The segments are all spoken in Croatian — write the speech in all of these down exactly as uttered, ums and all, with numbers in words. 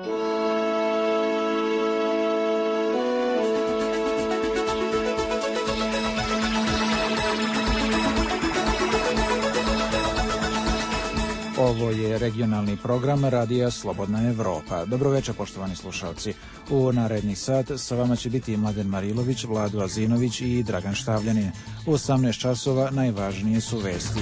Ovo je regionalni program Radija Slobodna Evropa. Dobro večer, poštovani slušalci. U naredni sat sa vama će biti Mladen Marilović, Vlado Azinović i Dragan Štavljanin. U osamnaest časova najvažnije su vesti.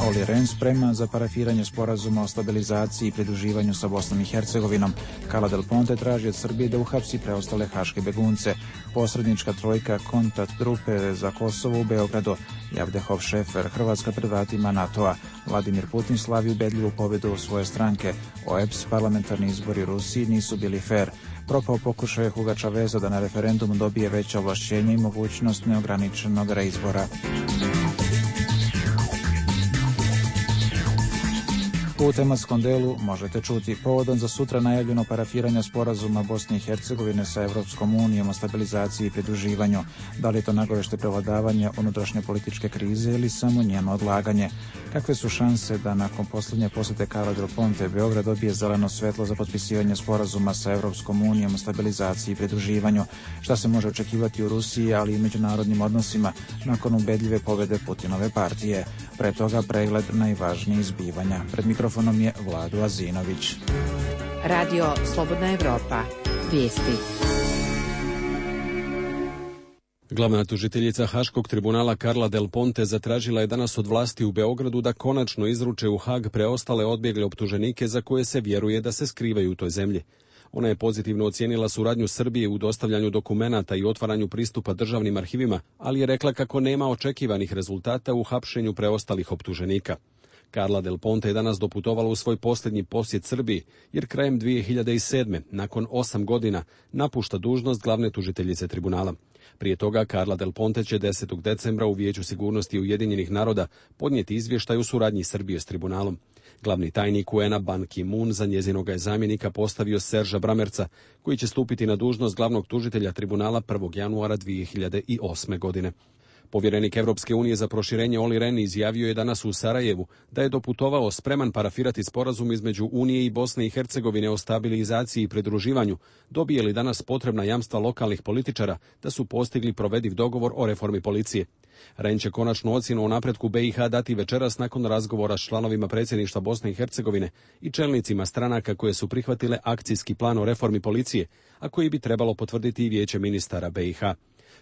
Olli Rehn spreman za parafiranje sporazuma o stabilizaciji i pridruživanju sa Bosnom i Hercegovinom. Carla Del Ponte traži od Srbije da uhapsi preostale haške begunce. Posrednička trojka kontakt grupe za Kosovo u Beogradu. Javdehov Šefer, Hrvatska pred vratima NATO-a. Vladimir Putin slavi ubedljivu pobedu u svoje stranke. O E P S, parlamentarni izbori u Rusiji nisu bili fair. Propao pokušaj Huga Čaveza da na referendumu dobije veće ovlašćenje i mogućnost neograničenog reizbora. U tematskom delu možete čuti povodom za sutra najavljeno parafiranje sporazuma Bosne i Hercegovine sa Evropskom unijom o stabilizaciji i pridruživanju. Da li je to nagovešte prevladavanja unutrašnje političke krize ili samo njeno odlaganje? Kakve su šanse da nakon posljednje posjete Carla Del Ponte Beograd dobije zeleno svetlo za potpisivanje sporazuma sa Evropskom unijom o stabilizaciji i pridruživanju? Šta se može očekivati u Rusiji, ali i međunarodnim odnosima nakon ubedljive pobede Putinove partije? Pre toga pregled najvažnijih zbivanja. Pred mikrofonom je Vlado Azinović. Radio Slobodna Evropa. Vijesti. Glavna tužiteljica Haškog tribunala Carla Del Ponte zatražila je danas od vlasti u Beogradu da konačno izruče u Hag preostale odbjegle optuženike za koje se vjeruje da se skrivaju u toj zemlji. Ona je pozitivno ocijenila suradnju Srbije u dostavljanju dokumenata i otvaranju pristupa državnim arhivima, ali je rekla kako nema očekivanih rezultata u hapšenju preostalih optuženika. Carla Del Ponte je danas doputovala u svoj posljednji posjet Srbiji, jer krajem dvije hiljade sedme, nakon osam godina, napušta dužnost glavne tužiteljice tribunala. Prije toga Carla Del Ponte će desetog decembra u Vijeću sigurnosti Ujedinjenih naroda podnijeti izvještaj u suradnji Srbije s tribunalom. Glavni tajnik U N A Ban Ki-moon za njezinoga je zamjenika postavio Serža Bramerca, koji će stupiti na dužnost glavnog tužitelja tribunala prvog januara dvije hiljade osme. godine. Povjerenik Evropske unije za proširenje Olli Rehn izjavio je danas u Sarajevu da je doputovao spreman parafirati sporazum između Unije i Bosne i Hercegovine o stabilizaciji i pridruživanju, dobije li danas potrebna jamstva lokalnih političara da su postigli provediv dogovor o reformi policije. Rehn će konačnu ocjenu o napretku B i H dati večeras nakon razgovora s članovima predsjedništva Bosne i Hercegovine i čelnicima stranaka koje su prihvatile akcijski plan o reformi policije, a koji bi trebalo potvrditi i Vijeće ministara B i H.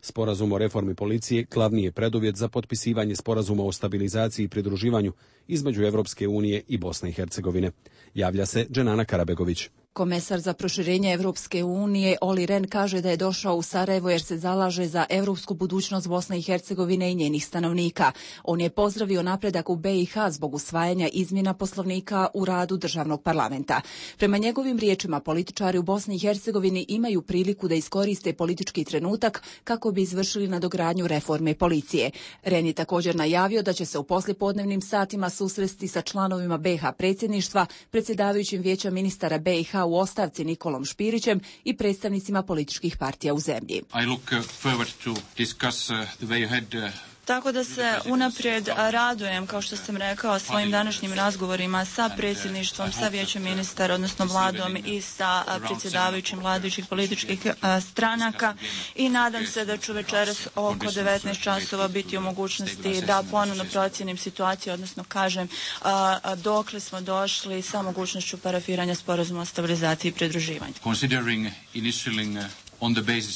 Sporazum o reformi policije glavni je preduvjet za potpisivanje sporazuma o stabilizaciji i pridruživanju između Evropske unije i Bosne i Hercegovine. Javlja se Dženana Karabegović. Komesar za proširenje Evropske unije Olli Rehn kaže da je došao u Sarajevo jer se zalaže za evropsku budućnost Bosne i Hercegovine i njenih stanovnika. On je pozdravio napredak u B i H zbog usvajanja izmjena poslovnika u radu državnog parlamenta. Prema njegovim riječima, političari u Bosni i Hercegovini imaju priliku da iskoriste politički trenutak kako bi izvršili nadogradnju reforme policije. Rehn je također najavio da će se u poslijepodnevnim satima susresti sa članovima B i H predsjedništva, predsjedavajućim Vijeća ministara B i H u ostavci Nikolom Špirićem i predstavnicima političkih partija u zemlji. I look forward to discuss the way ahead. Tako da se unaprijed radujem, kao što sam rekao, svojim današnjim razgovorima sa predsjedništvom, sa Vijećem ministara, odnosno vladom i sa predsjedavajućim vladajućih političkih stranaka i nadam se da ću večeras oko devetnaest časova biti u mogućnosti da ponovno procijenim situaciju, odnosno kažem dokle smo došli sa mogućnošću parafiranja sporazuma o stabilizaciji i pridruživanju.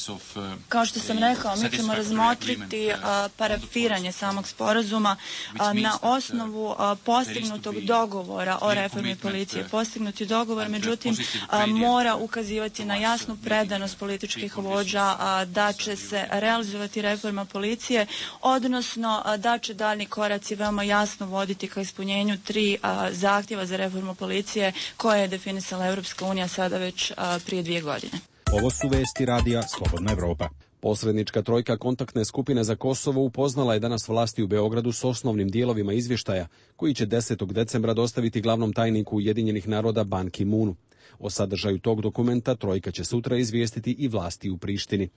Of, uh, Kao što sam rekao, mi ćemo razmotriti uh, parafiranje samog sporazuma uh, na osnovu uh, postignutog dogovora o reformi policije. Postignuti dogovor, međutim, uh, mora ukazivati na jasnu predanost političkih vođa uh, da će se realizovati reforma policije, odnosno uh, da će daljni koraci veoma jasno voditi ka ispunjenju tri uh, zahtjeva za reformu policije koje je definisala Evropska unija sada već uh, prije dvije godine. Ovo su vesti Radija Slobodna Evropa. Posrednička trojka kontaktne skupine za Kosovo upoznala je danas vlasti u Beogradu s osnovnim dijelovima izvještaja, koji će desetog decembra dostaviti glavnom tajniku Ujedinjenih naroda Ban Ki-moonu. O sadržaju tog dokumenta trojka će sutra izvijestiti i vlasti u Prištini.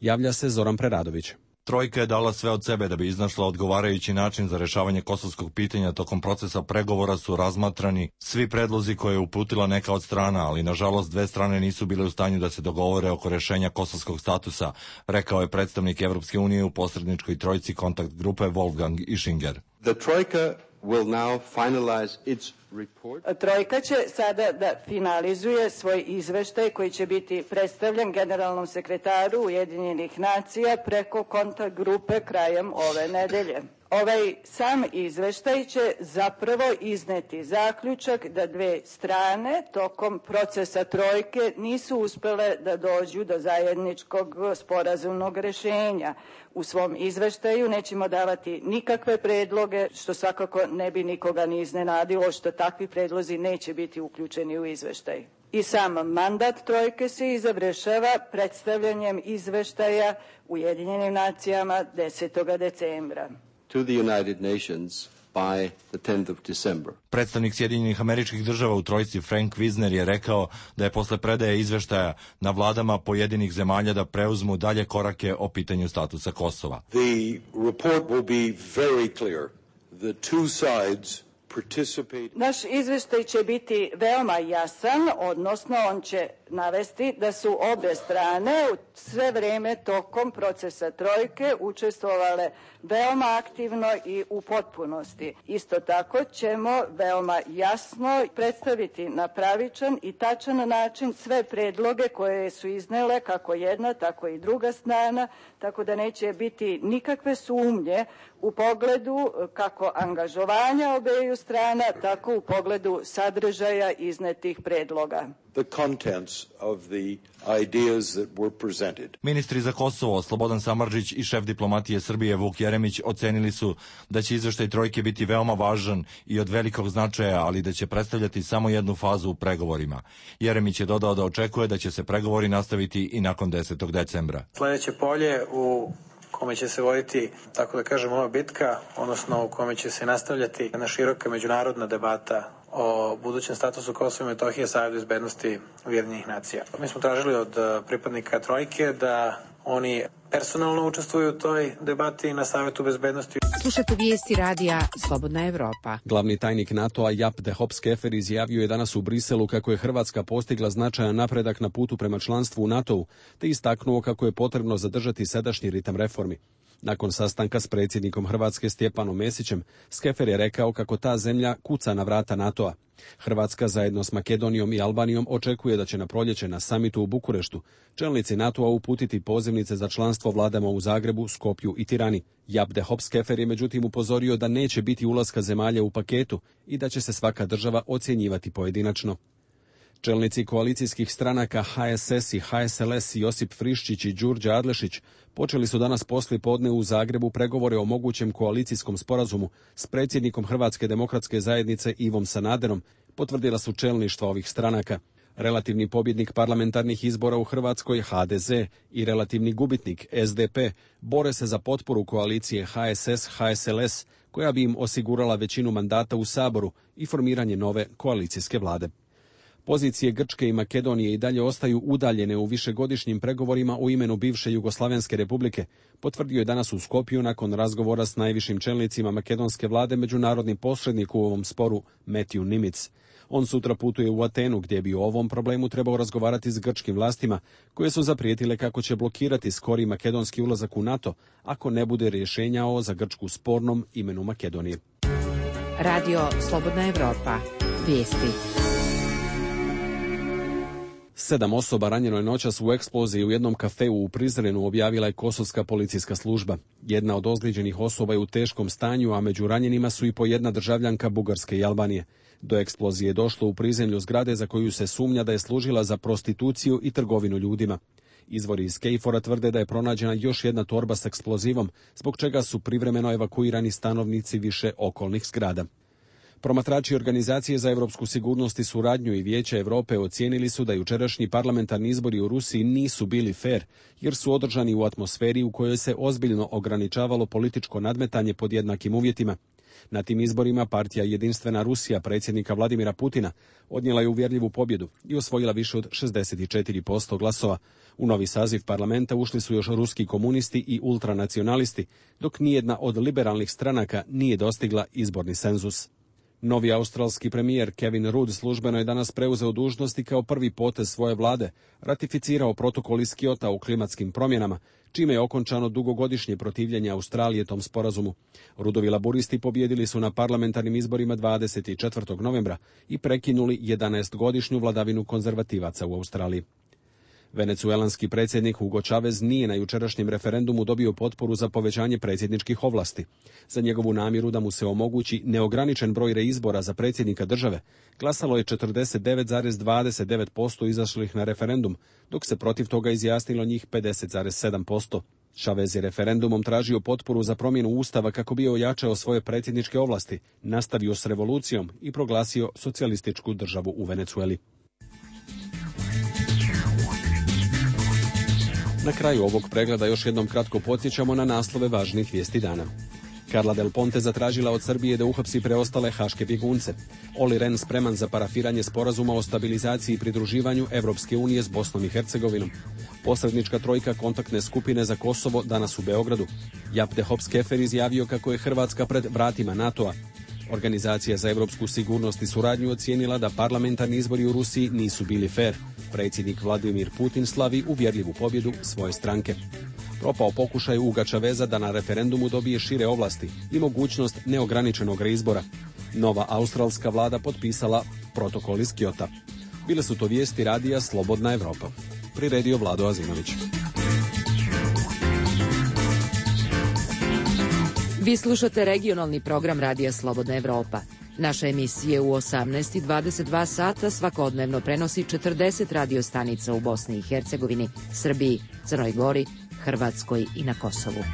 Javlja se Zoran Preradović. Trojka je dala sve od sebe da bi iznašla odgovarajući način za rešavanje kosovskog pitanja. Tokom procesa pregovora su razmatrani svi predlozi koje je uputila neka od strana, ali nažalost dve strane nisu bile u stanju da se dogovore oko rešenja kosovskog statusa, rekao je predstavnik Evropske unije u posredničkoj trojci kontakt grupe Wolfgang Ischinger. The Troika will now finalize its report. Trojka će sada da finalizuje svoj izveštaj koji će biti predstavljen generalnom sekretaru Ujedinjenih nacija preko kontakt grupe krajem ove nedelje. Ovaj sam izveštaj će zapravo izneti zaključak da dve strane tokom procesa trojke nisu uspele da dođu do zajedničkog sporazumnog rešenja. U svom izveštaju nećemo davati nikakve predloge, što svakako ne bi nikoga ni iznenadilo, što takvi predlozi neće biti uključeni u izveštaj. I sam mandat trojke se i završava predstavljanjem izveštaja Ujedinjenim nacijama desetog decembra. To the United Nations by the tenth of December. Predstavnik Sjedinjenih Američkih Država u trojci Frank Wisner je rekao da je posle predaje izveštaja na vladama pojedinih zemalja da preuzmu dalje korake o pitanju statusa Kosova. The report will be very clear. The two sides participate. Naš izveštaj će biti veoma jasan, odnosno on će navesti da su obe strane u sve vreme tokom procesa trojke učestvovale veoma aktivno i u potpunosti. Isto tako ćemo veoma jasno predstaviti na pravičan i tačan način sve predloge koje su iznele kako jedna, tako i druga strana, tako da neće biti nikakve sumnje u pogledu kako angažovanja obeju strana, tako u pogledu sadržaja iznetih predloga. The contents of the ideas that were presented. Ministri za Kosovo Slobodan Samardžić i šef diplomatije Srbije Vuk Jeremić ocenili su da će izveštaj trojke biti veoma važan i od velikog značaja, ali da će predstavljati samo jednu fazu u pregovorima. Jeremić je dodao da očekuje da će se pregovori nastaviti i nakon desetog decembra. Sljedeće polje u kome će se voditi, tako da kažem, ova bitka, odnosno u kome će se nastavljati jedna široka međunarodna debata o budućem statusu Kosova i Metohije Savjet bezbednosti Ujedinjenih nacija. Mi smo tražili od pripadnika trojke da oni personalno učestvuju u toj debati na Savjetu bezbednosti. Slušate vijesti radija Slobodna Evropa. Glavni tajnik NATO-a Jaap de Hoop Scheffer izjavio je danas u Briselu kako je Hrvatska postigla značajan napredak na putu prema članstvu u NATO-u, te istaknuo kako je potrebno zadržati sadašnji ritam reformi. Nakon sastanka s predsjednikom Hrvatske Stjepanom Mesićem, Scheffer je rekao kako ta zemlja kuca na vrata NATO-a. Hrvatska zajedno s Makedonijom i Albanijom očekuje da će na proljeće na samitu u Bukureštu čelnici NATO-a uputiti pozivnice za članstvo vladama u Zagrebu, Skopju i Tirani. Jaap de Hoop Scheffer je međutim upozorio da neće biti ulaska zemalja u paketu i da će se svaka država ocjenjivati pojedinačno. Čelnici koalicijskih stranaka H S S i H S L S Josip Friščić i Đurđa Adlešić počeli su danas poslije podne u Zagrebu pregovore o mogućem koalicijskom sporazumu s predsjednikom Hrvatske demokratske zajednice Ivom Sanaderom, potvrdila su čelništva ovih stranaka. Relativni pobjednik parlamentarnih izbora u Hrvatskoj H D Z i relativni gubitnik S D P bore se za potporu koalicije H S S H S L S koja bi im osigurala većinu mandata u Saboru i formiranje nove koalicijske vlade. Pozicije Grčke i Makedonije i dalje ostaju udaljene u višegodišnjim pregovorima u imenu bivše Jugoslavenske republike, potvrdio je danas u Skopju nakon razgovora s najvišim čelnicima makedonske vlade međunarodni posrednik u ovom sporu Matthew Nimitz. On sutra putuje u Atenu gdje bi o ovom problemu trebao razgovarati s grčkim vlastima, koje su zaprijetile kako će blokirati skori makedonski ulazak u NATO ako ne bude rješenja o za Grčku spornom imenu Makedonije. Radio Slobodna Evropa. Vijesti. Sedam osoba ranjeno je noćas u eksploziji u jednom kafeu u Prizrenu, objavila je kosovska policijska služba. Jedna od ozlijeđenih osoba je u teškom stanju, a među ranjenima su i po jedna državljanka Bugarske i Albanije. Do eksplozije je došlo u prizemlju zgrade za koju se sumnja da je služila za prostituciju i trgovinu ljudima. Izvori iz Kejfora tvrde da je pronađena još jedna torba s eksplozivom, zbog čega su privremeno evakuirani stanovnici više okolnih zgrada. Promatrači Organizacije za europsku sigurnost i suradnju i Vijeća Europe ocijenili su da jučerašnji parlamentarni izbori u Rusiji nisu bili fer, jer su održani u atmosferi u kojoj se ozbiljno ograničavalo političko nadmetanje pod jednakim uvjetima. Na tim izborima partija Jedinstvena Rusija predsjednika Vladimira Putina odnijela je uvjerljivu pobjedu i osvojila više od šezdeset četiri posto glasova. U novi saziv parlamenta ušli su još ruski komunisti i ultranacionalisti, dok nijedna od liberalnih stranaka nije dostigla izborni senzus. Novi australski premijer Kevin Rudd službeno je danas preuzeo dužnosti kao prvi potez svoje vlade, ratificirao protokol iz Kyota o klimatskim promjenama, čime je okončano dugogodišnje protivljenje Australije tom sporazumu. Ruddovi laburisti pobjedili su na parlamentarnim izborima dvadeset četvrtog novembra i prekinuli jedanaestogodišnju vladavinu konzervativaca u Australiji. Venecuelanski predsjednik Hugo Chavez nije na jučerašnjem referendumu dobio potporu za povećanje predsjedničkih ovlasti. Za njegovu namjeru da mu se omogući neograničen broj reizbora za predsjednika države glasalo je četrdeset devet zarez dvadeset devet posto izašlih na referendum, dok se protiv toga izjasnilo njih pedeset zarez sedam posto. Chavez je referendumom tražio potporu za promjenu ustava kako bi ojačao svoje predsjedničke ovlasti, nastavio s revolucijom i proglasio socijalističku državu u Venecueli. Na kraju ovog pregleda još jednom kratko podsjećamo na naslove važnih vijesti dana. Carla Del Ponte zatražila od Srbije da uhapsi preostale haške bjegunce. Olli Rehn spreman za parafiranje sporazuma o stabilizaciji i pridruživanju Evropske unije s Bosnom i Hercegovinom. Posrednička trojka kontaktne skupine za Kosovo danas u Beogradu. Japte Hops-Kefer izjavio kako je Hrvatska pred vratima NATO-a. Organizacija za evropsku sigurnost i suradnju ocijenila da parlamentarni izbori u Rusiji nisu bili fer. Predsjednik Vladimir Putin slavi uvjerljivu pobjedu svoje stranke. Propao pokušaj Huga Chaveza da na referendumu dobije šire ovlasti i mogućnost neograničenog reizbora. Nova australska vlada potpisala protokol iz Kyota. Bile su to vijesti radija Slobodna Evropa. Priredio Vlado Azinović. Vi slušate regionalni program Radija Slobodna Evropa. Naše emisije u osamnaest i dvadeset dva sata svakodnevno prenosi četrdeset radio stanica u Bosni i Hercegovini, Srbiji, Crnoj Gori, Hrvatskoj i na Kosovu.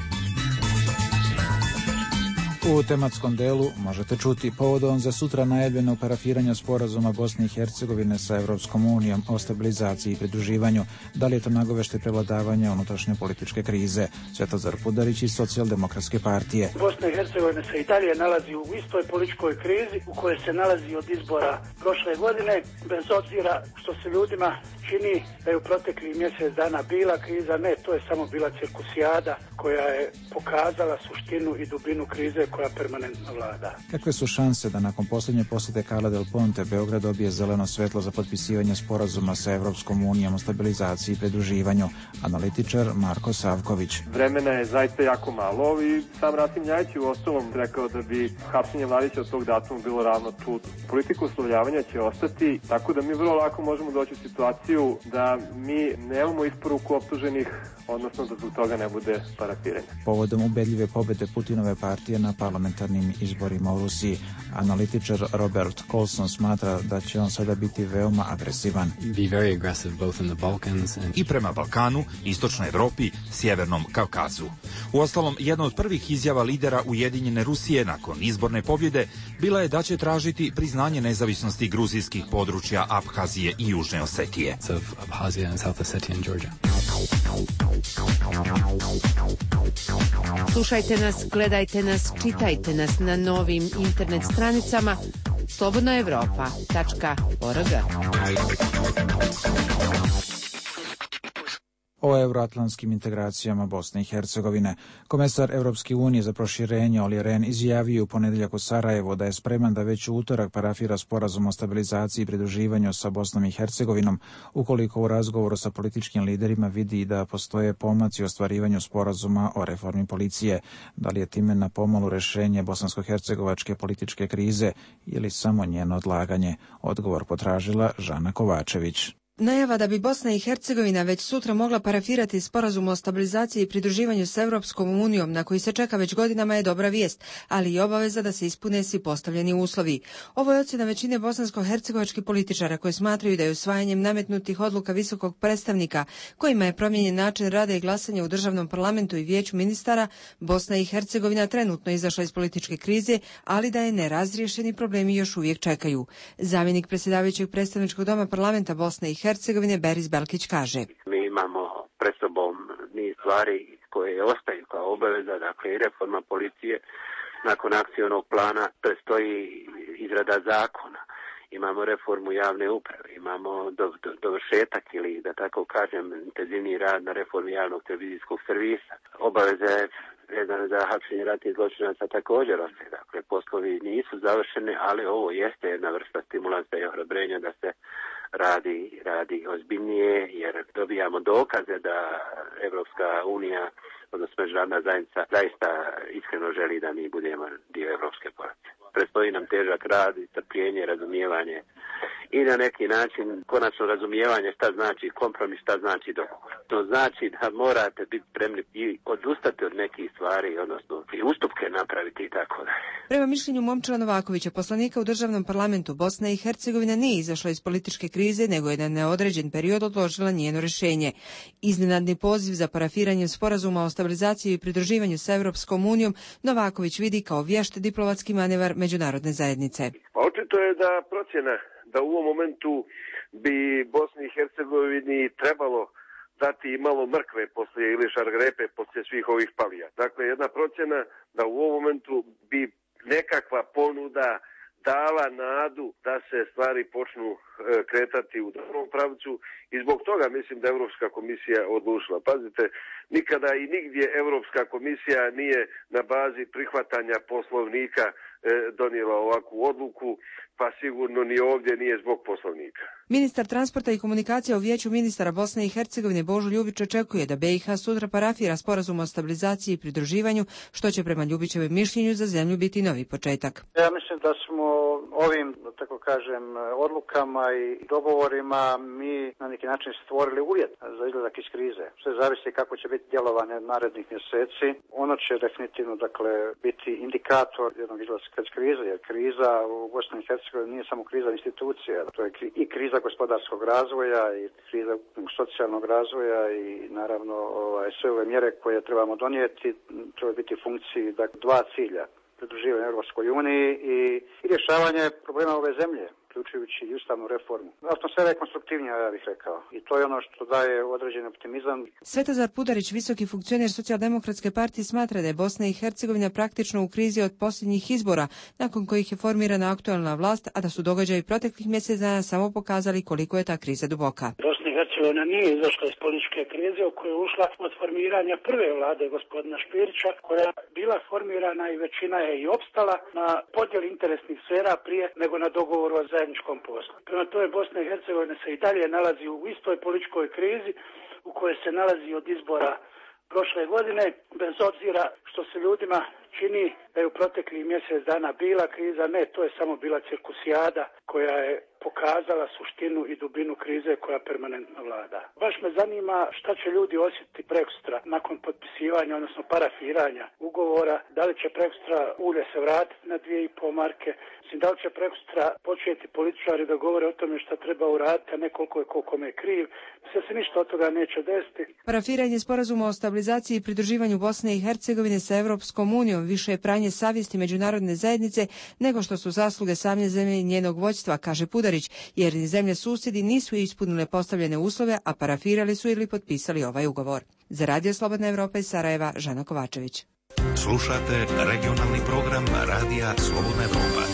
U tematskom delu možete čuti povodom za sutra najavljeno parafiranje sporazuma Bosne i Hercegovine sa Evropskom unijom o stabilizaciji i pridruživanju. Da li je to nagovešte prevladavanja unutrašnje političke krize? Svetozar Pudarić iz Socijaldemokratske partije. Bosna i Hercegovina se i dalje nalazi u istoj političkoj krizi u kojoj se nalazi od izbora prošle godine, bez obzira što se ljudima čini da je u proteklih mjesec dana bila kriza. Ne, to je samo bila cirkusijada koja je pokazala suštinu i dubinu krize koja permanentno vlada. Kakve su šanse da nakon posljednje posjete Carla Del Ponte Beograd dobije zeleno svetlo za potpisivanje sporazuma sa Evropskom unijom o stabilizaciji i pridruživanju? Analitičar Marko Savković. Vremena je zaista jako malo i sam Rasim Ljajić je uostalom rekao da bi hapšenje Mladića od tog datuma bilo ravno čudu. Politika uslovljavanja će ostati, tako da mi vrlo lako možemo doći u situaciju da mi nemamo isporuku optuženih, odnosno da zbog toga ne bude parafiranja. Povodom ubedljive pobjede Putinove partije na parlamentarnim izborima u Rusiji, analitičar Robert Colson smatra da će on sada biti veoma agresivan. I prema Balkanu, Istočnoj Evropi, Sjevernom Kavkazu. Uostalom, jedna od prvih izjava lidera Ujedinjene Rusije nakon izborne pobjede bila je da će tražiti priznanje nezavisnosti gruzijskih područja Abhazije i Južne Osetije. Slušajte nas, gledajte nas, čitajte nas na novim internet stranicama slobodna evropa tačka org. O euroatlantskim integracijama Bosne i Hercegovine. Komesar Evropske unije za proširenje Olli Rehn izjavio u ponedjeljak u Sarajevu da je spreman da već u utorak parafira sporazum o stabilizaciji i pridruživanju sa Bosnom i Hercegovinom, ukoliko u razgovoru sa političkim liderima vidi da postoje pomaci u ostvarivanju sporazuma o reformi policije. Da li je time na pomolu rješenje bosansko-hercegovačke političke krize ili samo njeno odlaganje? Odgovor potražila Žana Kovačević. Najava da bi Bosna i Hercegovina već sutra mogla parafirati sporazum o stabilizaciji i pridruživanju s Evropskom unijom, na koji se čeka već godinama, je dobra vijest, ali i obaveza da se ispune svi postavljeni uslovi. Ovo je ocjena većine bosansko-hercegovačkih političara koji smatraju da je usvajanjem nametnutih odluka visokog predstavnika, kojima je promijenjen način rada i glasanja u državnom parlamentu i vijeću ministara, Bosna i Hercegovina trenutno izašla iz političke krize, ali da je nerazriješeni problemi još uvijek čekaju. Zamjenik predsjedavajućeg predstavničkog doma parlamenta Bosne i Hercegovine Beris Belkić kaže: Mi imamo pred sobom niz stvari koje ostaju kao obaveza, dakle i reforma policije nakon akcionog plana predstoji izrada zakona. Imamo reformu javne uprave, imamo do, do, dovršetak ili, da tako kažem, intenzivni rad na reformi javnog televizijskog servisa. Obaveze vezane za hapšenje ratnih zločinaca također ostaje. Dakle, poslovi nisu završeni, ali ovo jeste jedna vrsta stimulansa i ohrabrenja da se radi, radi ozbiljnije, jer dobijamo dokaze da Evropska unija, odnosno međunarodna zajednica, zaista iskreno želi da mi budemo dio evropske porodice. Predstoji nam težak rad i strpljenje, razumijevanje i na neki način konačno razumijevanje šta znači kompromis, šta znači dogovor. To znači da morate biti spremni i odustati od nekih stvari, odnosno i ustupke napraviti i tako dalje. Prema mišljenju Momčila Novakovića, poslanika u državnom parlamentu, Bosna i Hercegovina nije izašla iz političke krize, nego je na neodređen period odložila njeno rješenje. Iznenadni poziv za parafiranje sporazuma o stabilizaciji i pridruživanju sa Evropskom unijom Novaković vidi kao vješt diplomatski manevar međunarodne zajednice. Pa očito je da procjena da u ovom momentu bi Bosni i Hercegovini trebalo dati i malo mrkve poslije ili šargrepe poslije svih ovih palija. Dakle, jedna procjena da u ovom momentu bi nekakva ponuda dala nadu da se stvari počnu e, kretati u dobrom pravcu i zbog toga mislim da Europska komisija odlučila. Pazite, nikada i nigdje Europska komisija nije na bazi prihvatanja poslovnika e, donijela ovakvu odluku, pa sigurno ni ovdje nije zbog poslovnika. Ministar transporta i komunikacija u Vijeću ministara Bosne i Hercegovine Božo Ljubić očekuje da B i H sutra parafira sporazum o stabilizaciji i pridruživanju, što će prema Ljubićevem mišljenju za zemlju biti novi početak. Ja mislim da smo ovim, da tako kažem, odlukama i dogovorima mi na neki način stvorili uvjet za izlazak iz krize. Sve zavisi kako će biti djelovanje narednih mjeseci. Ono će definitivno, dakle, biti indikator jednog izlaska iz krize, jer kriza u Bosni i Hercegovini nije samo kriza institucija, to je i kriza gospodarskog razvoja i kriza socijalnog razvoja i naravno ovaj, sve ove mjere koje trebamo donijeti treba biti u funkciji dakle, dva cilja. Pridruživanje Europskoj uniji i, i rješavanje problema ove zemlje, uključujući i ustavnu reformu. Atmosfera je konstruktivnija, ja bih rekao. I to je ono što daje određeni optimizam. Svetozar Pudarić, visoki funkcioner Socijaldemokratske partije, smatra da je Bosna i Hercegovina praktično u krizi od posljednjih izbora, nakon kojih je formirana aktualna vlast, a da su događaji proteklih mjesec dana samo pokazali koliko je ta kriza duboka. Bosna i Hercegovina nije izašla iz političke krize u koju je ušla od formiranja prve vlade gospodina Špirića, koja je bila formirana i većina je i opstala na podjeli interesnih sfera prije nego na dogovoru o zajedničkom poslu. Prema tome Bosna i Hercegovina se i dalje nalazi u istoj političkoj krizi u kojoj se nalazi od izbora prošle godine, bez obzira što se ljudima čini da je u proteklih mjesec dana bila kriza. Ne, to je samo bila cirkusijada koja je pokazala suštinu i dubinu krize koja permanentno vlada. Baš me zanima šta će ljudi osjetiti prekosutra nakon potpisivanja, odnosno parafiranja ugovora, da li će prekosutra ulje se vratiti na dvije i pol marke, da li će prekosutra početi političari da govore o tome šta treba uraditi, a ne koliko je koliko me kriv. Sve se ništa od toga neće desiti. Parafiranje sporazuma o stabilizaciji i pridruživanju Bosne i Hercegovine sa Evropskom unijom više je pranje savjesti međunarodne zajednice nego što su zasluge same zemlje i njenog vođstva, kaže Pudarić, jer ni zemlje susjedi nisu ispunile postavljene uslove, a parafirali su ili potpisali ovaj ugovor. Za Radio Slobodna Evropa iz Sarajeva, Žana Kovačević. Slušate regionalni program Radija Slobodna Evropa.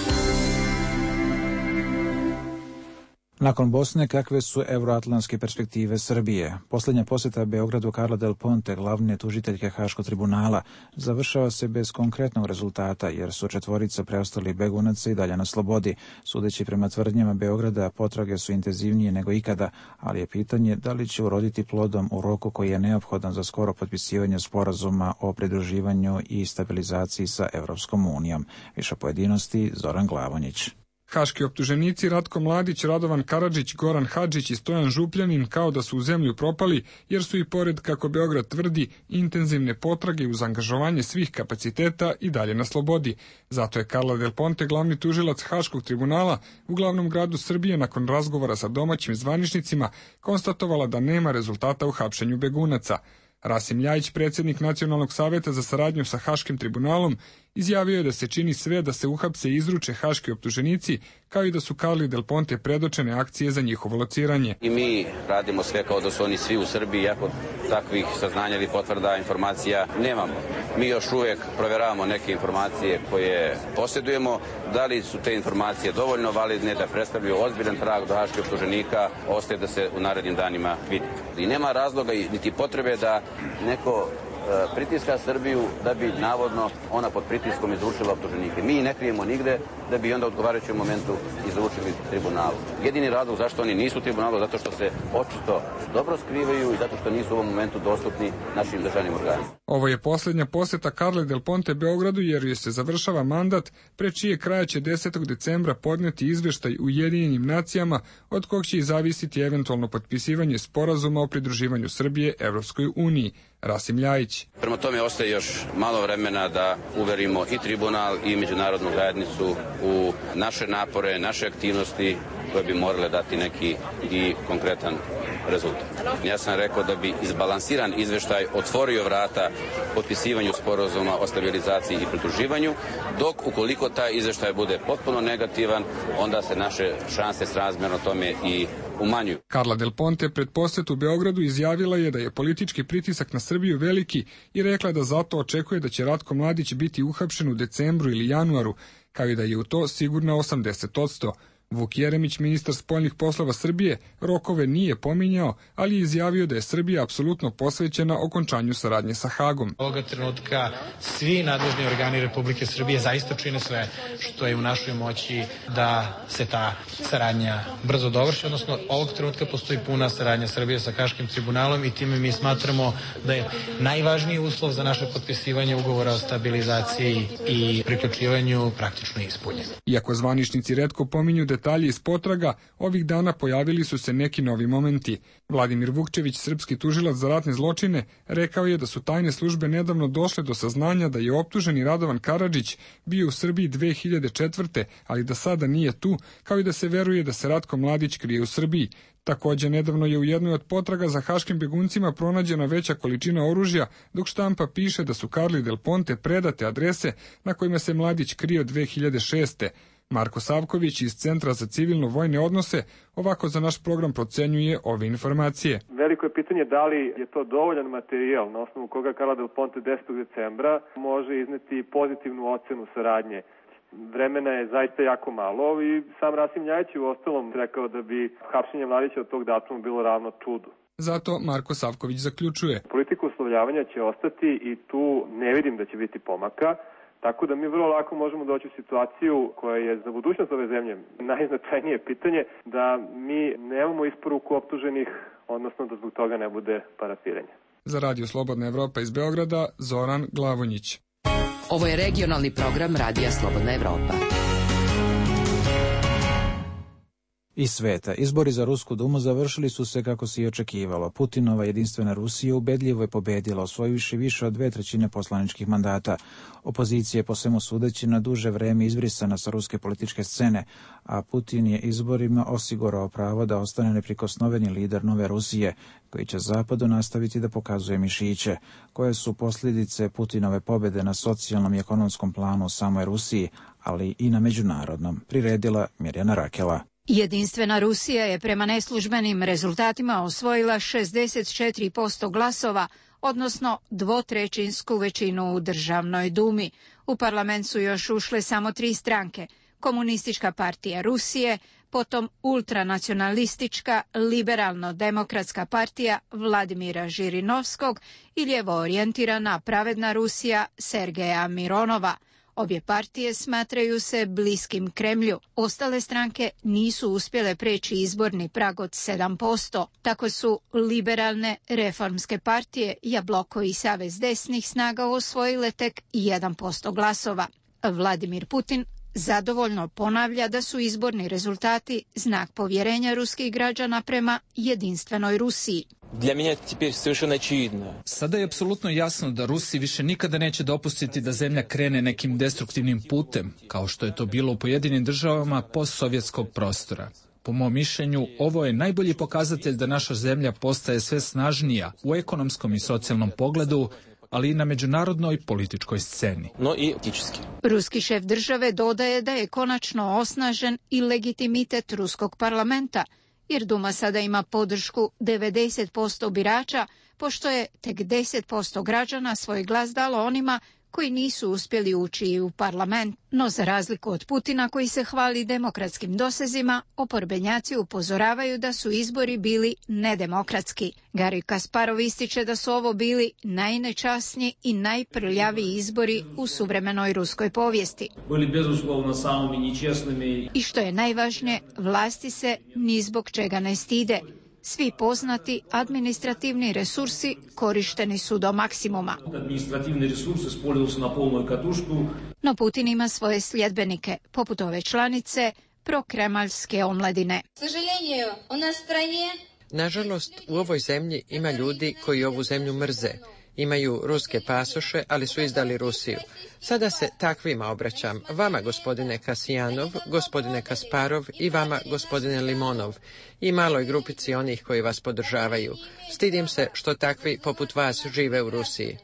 Nakon Bosne, kakve su euroatlantske perspektive Srbije? Posljednja posjeta Beogradu Carla Del Ponte, glavne tužiteljke Haškog tribunala, završava se bez konkretnog rezultata, jer su četvorica preostali begunaca i dalje na slobodi. Sudeći prema tvrdnjama Beograda, potrage su intenzivnije nego ikada, ali je pitanje da li će uroditi plodom u roku koji je neophodan za skoro potpisivanje sporazuma o pridruživanju i stabilizaciji sa Evropskom unijom. Više pojedinosti, Zoran Glavonjić. Haški optuženici Ratko Mladić, Radovan Karadžić, Goran Hadžić i Stojan Župljanin kao da su u zemlju propali, jer su i pored, kako Beograd tvrdi, intenzivne potrage uz angažovanje svih kapaciteta i dalje na slobodi. Zato je Carla Del Ponte, glavni tužilac Haškog tribunala u glavnom gradu Srbije, nakon razgovora sa domaćim zvaničnicima, konstatovala da nema rezultata u hapšenju begunaca. Rasim Ljajić, predsjednik Nacionalnog savjeta za saradnju sa Haškim tribunalom, izjavio je da se čini sve da se uhapse i izruče haški optuženici, kao i da su Carli Del Ponte predočene akcije za njihovo lociranje. I mi radimo sve kao da su oni svi u Srbiji, iako takvih saznanja ili potvrda informacija nemamo. Mi još uvijek provjeravamo neke informacije koje posjedujemo, da li su te informacije dovoljno validne da predstavljaju ozbiljan trag do haških optuženika, ostaje da se u narednim danima vidi. I nema razloga niti potrebe da neko pritiska Srbiju da bi navodno ona pod pritiskom izručila optuženike. Mi ne krijemo nigde da bi onda u odgovarajućem momentu izručili tribunalu. Jedini razlog zašto oni nisu u tribunalu, zato što se očito dobro skrivaju i zato što nisu u ovom momentu dostupni našim državnim organima. Ovo je posljednja posjeta Carli Del Ponte Beogradu jer joj se završava mandat, pre čije kraja će desetog decembra podneti izveštaj Ujedinjenim nacijama od kog će i zavisiti eventualno potpisivanje sporazuma o pridruživanju Srbije Evropskoj uniji. Rasim Ljajić. Prema tome ostaje još malo vremena da uverimo i tribunal i međunarodnu zajednicu u naše napore, naše aktivnosti koje bi morale dati neki i konkretan rezultat. Ja sam rekao da bi izbalansiran izveštaj otvorio vrata potpisivanju sporazuma o stabilizaciji i pridruživanju, dok ukoliko taj izveštaj bude potpuno negativan, onda se naše šanse srazmjerno tome i umanjuju. Carla Del Ponte pred posjetu Beogradu izjavila je da je politički pritisak na Srbiju veliki i rekla da zato očekuje da će Ratko Mladić biti uhapšen u decembru ili januaru, kao i da je u to sigurno osamdeset posto. Vuk Jeremić, ministar spoljnih poslova Srbije, rokove nije pominjao, ali je izjavio da je Srbija apsolutno posvećena okončanju saradnje sa Hagom. Ovoga trenutka svi nadležni organi Republike Srbije zaista čine sve što je u našoj moći da se ta saradnja brzo dovrši, odnosno ovog trenutka postoji puna saradnja Srbije sa Haškim tribunalom i time mi smatramo da je najvažniji uslov za naše potpisivanje ugovora o stabilizaciji i priključivanju praktično ispunjen. Iako zvaničnici retko pominju da detalji iz potraga, ovih dana pojavili su se neki novi momenti. Vladimir Vukčević, srpski tužilac za ratne zločine, rekao je da su tajne službe nedavno došle do saznanja da je optuženi Radovan Karadžić bio u Srbiji dve hiljade četvrte. ali da sada nije tu, kao i da se veruje da se Ratko Mladić krije u Srbiji. Također, nedavno je u jednoj od potraga za haškim beguncima pronađena veća količina oružja, dok štampa piše da su Carli Del Ponte predate adrese na kojima se Mladić krio dve hiljade šeste. Marko Savković iz Centra za civilno-vojne odnose ovako za naš program procenjuje ove informacije. Veliko je pitanje da li je to dovoljan materijal na osnovu koga Carla Del Ponte desetog decembra može izneti pozitivnu ocenu saradnje. Vremena je zaista jako malo i sam Rasim Ljajić u ostalom rekao da bi hapšenje Mladića od tog datuma bilo ravno čudu. Zato Marko Savković zaključuje. Politika uslovljavanja će ostati i tu ne vidim da će biti pomaka. Tako da mi vrlo lako možemo doći u situaciju koja je za budućnost ove zemlje najznačajnije pitanje, da mi nemamo isporuku optuženih, odnosno da zbog toga ne bude parafiranja. Za Radio Slobodna Evropa iz Beograda, Zoran Glavonjić. Ovo je regionalni program Radija Slobodna Evropa. Iz sveta. Izbori za Rusku dumu završili su se kako se i očekivalo. Putinova jedinstvena Rusija ubedljivo je pobedila, osvojivši više od dve trećine poslaničkih mandata. Opozicija je po svemu sudeći na duže vreme izbrisana sa ruske političke scene, a Putin je izborima osigurao pravo da ostane neprikosnoveni lider nove Rusije, koji će Zapadu nastaviti da pokazuje mišiće. Koje su posljedice Putinove pobjede na socijalnom i ekonomskom planu u samoj Rusiji, ali i na međunarodnom, priredila Mirjana Rakela. Jedinstvena Rusija je prema neslužbenim rezultatima osvojila šezdeset četiri posto glasova, odnosno dvotrećinsku većinu u državnoj dumi. U parlament su još ušle samo tri stranke: Komunistička partija Rusije, potom ultranacionalistička liberalno-demokratska partija Vladimira Žirinovskog i ljevo orijentirana Pravedna Rusija Sergeja Mironova. Obje partije smatraju se bliskim Kremlju. Ostale stranke nisu uspjele preći izborni prag od sedam posto. Tako su liberalne reformske partije, Jabloko i Savez desnih snaga osvojile tek jedan posto glasova. Vladimir Putin zadovoljno ponavlja da su izborni rezultati znak povjerenja ruskih građana prema jedinstvenoj Rusiji. Sada je apsolutno jasno da Rusi više nikada neće dopustiti da zemlja krene nekim destruktivnim putem, kao što je to bilo u pojedinim državama postsovjetskog prostora. Po mom mišljenju, ovo je najbolji pokazatelj da naša zemlja postaje sve snažnija u ekonomskom i socijalnom pogledu, ali i na međunarodnoj političkoj sceni. No i etički. Ruski šef države dodaje da je konačno osnažen i legitimitet ruskog parlamenta, jer Duma sada ima podršku devedeset posto birača, pošto je tek deset posto građana svoj glas dalo onima koji nisu uspjeli ući u parlament. No za razliku od Putina koji se hvali demokratskim dosezima, oporbenjaci upozoravaju da su izbori bili nedemokratski. Garij Kasparov ističe da su ovo bili najnečasniji i najprljaviji izbori u suvremenoj ruskoj povijesti. I što je najvažnije, vlasti se ni zbog čega ne stide. Svi poznati administrativni resursi korišteni su do maksimuma. No Putin ima svoje sljedbenike, poput ove članice prokremaljske omladine. Nažalost, u ovoj zemlji ima ljudi koji ovu zemlju mrze. Imaju ruske pasoše, ali su izdali Rusiju. Sada se takvima obraćam. Vama, gospodine Kasijanov, gospodine Kasparov i vama, gospodine Limonov. I maloj grupici onih koji vas podržavaju. Stidim se što takvi poput vas žive u Rusiji.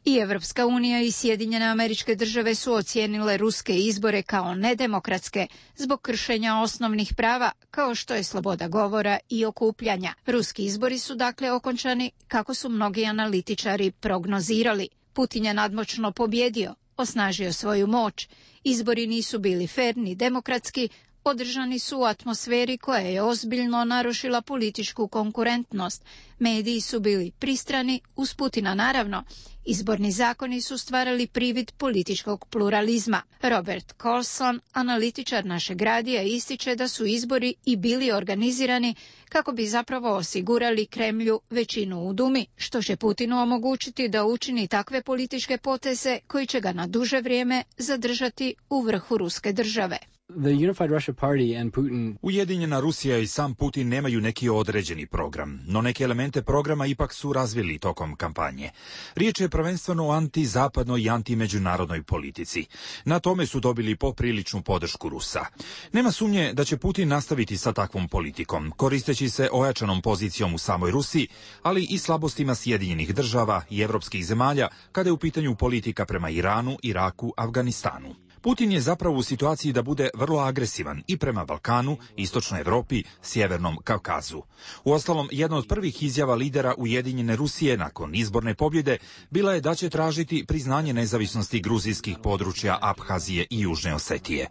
I Evropska unija i Sjedinjene Američke Države su ocijenile ruske izbore kao nedemokratske zbog kršenja osnovnih prava, kao što je sloboda govora i okupljanja. Ruski izbori su dakle okončani kako su mnogi analitičari prognozirali. Putin je nadmoćno pobjedio, osnažio svoju moć. Izbori nisu bili fer ni demokratski, održani su u atmosferi koja je ozbiljno narušila političku konkurentnost. Mediji su bili pristrani, uz Putina naravno. Izborni zakoni su stvarali privid političkog pluralizma. Robert Colson, analitičar našeg radija, ističe da su izbori i bili organizirani kako bi zapravo osigurali Kremlju većinu u Dumi, što će Putinu omogućiti da učini takve političke poteze koji će ga na duže vrijeme zadržati u vrhu ruske države. The Unified Russia Party and Putin... Ujedinjena Rusija i sam Putin nemaju neki određeni program, no neke elemente programa ipak su razvili tokom kampanje. Riječ je prvenstveno o antizapadnoj i antimeđunarodnoj politici. Na tome su dobili popriličnu podršku Rusa. Nema sumnje da će Putin nastaviti sa takvom politikom, koristeći se ojačanom pozicijom u samoj Rusiji, ali i slabostima Sjedinjenih država i evropskih zemalja kada je u pitanju politika prema Iranu, Iraku, Afganistanu. Putin je zapravo u situaciji da bude vrlo agresivan i prema Balkanu, Istočnoj Evropi, Sjevernom Kavkazu. Uostalom, jedna od prvih izjava lidera Ujedinjene Rusije nakon izborne pobjede bila je da će tražiti priznanje nezavisnosti gruzijskih područja Abhazije i Južne Osetije.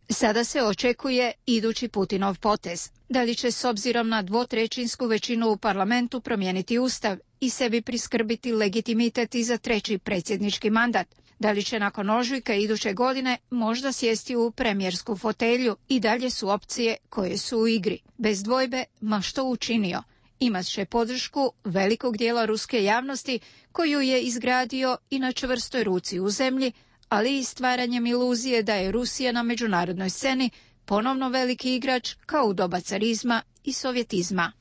Sada se očekuje idući Putinov potez. Da li će s obzirom na dvotrećinsku većinu u parlamentu promijeniti ustav i sebi priskrbiti legitimitet i za treći predsjednički mandat? Da li će nakon ožujka iduće godine možda sjesti u premijersku fotelju? I dalje su opcije koje su u igri. Bez dvojbe, ma što učinio? Imat će podršku velikog dijela ruske javnosti koju je izgradio i na čvrstoj ruci u zemlji, ali i stvaranjem iluzije da je Rusija na međunarodnoj sceni ponovno veliki igrač kao u doba carizma i sovjetizma.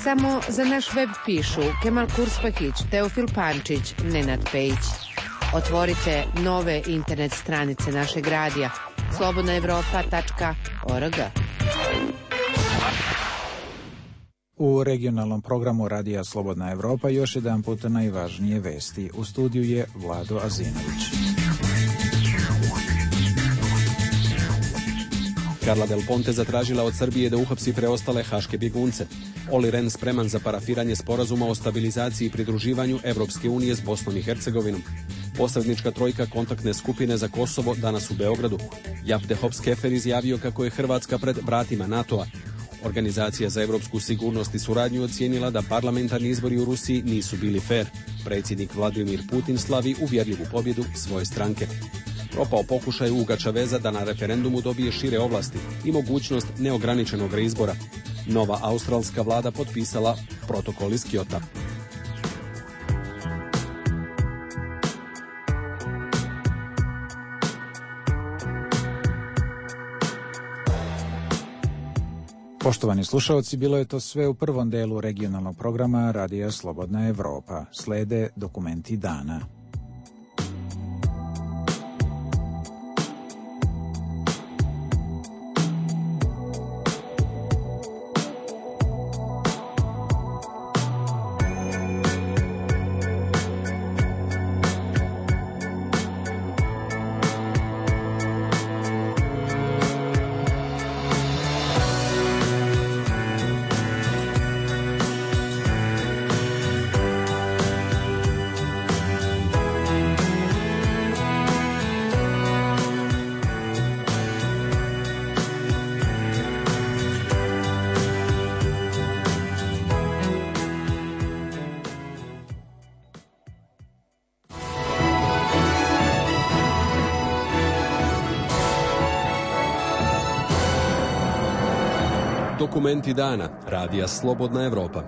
Samo za naš web pišu Kemal Kurspahić, Teofil Pančić, Nenad Pejić. Otvorite nove internet stranice našeg radija slobodna evropa tačka org. U regionalnom programu Radija Slobodna Evropa još jedan puta najvažnije vesti. U studiju je Vlado Azinović. Carla Del Ponte zatražila od Srbije da uhapsi preostale haške bjegunce. Olli Rehn spreman za parafiranje sporazuma o stabilizaciji i pridruživanju Evropske unije s Bosnom i Hercegovinom. Posrednička trojka kontaktne skupine za Kosovo danas u Beogradu. Japte Hops-Kefer izjavio kako je Hrvatska pred vratima NATO-a. Organizacija za evropsku sigurnost i suradnju ocijenila da parlamentarni izbori u Rusiji nisu bili fer. Predsjednik Vladimir Putin slavi uvjerljivu pobjedu svoje stranke. Propao pokušaj Uga Čaveza da na referendumu dobije šire ovlasti i mogućnost neograničenog reizbora. Nova australska vlada potpisala protokol iz Kyota. Poštovani slušalci, bilo je to sve u prvom delu regionalnog programa Radija Slobodna Evropa. Slede dokumenti dana. Dokumenti dana. Radija Slobodna Evropa.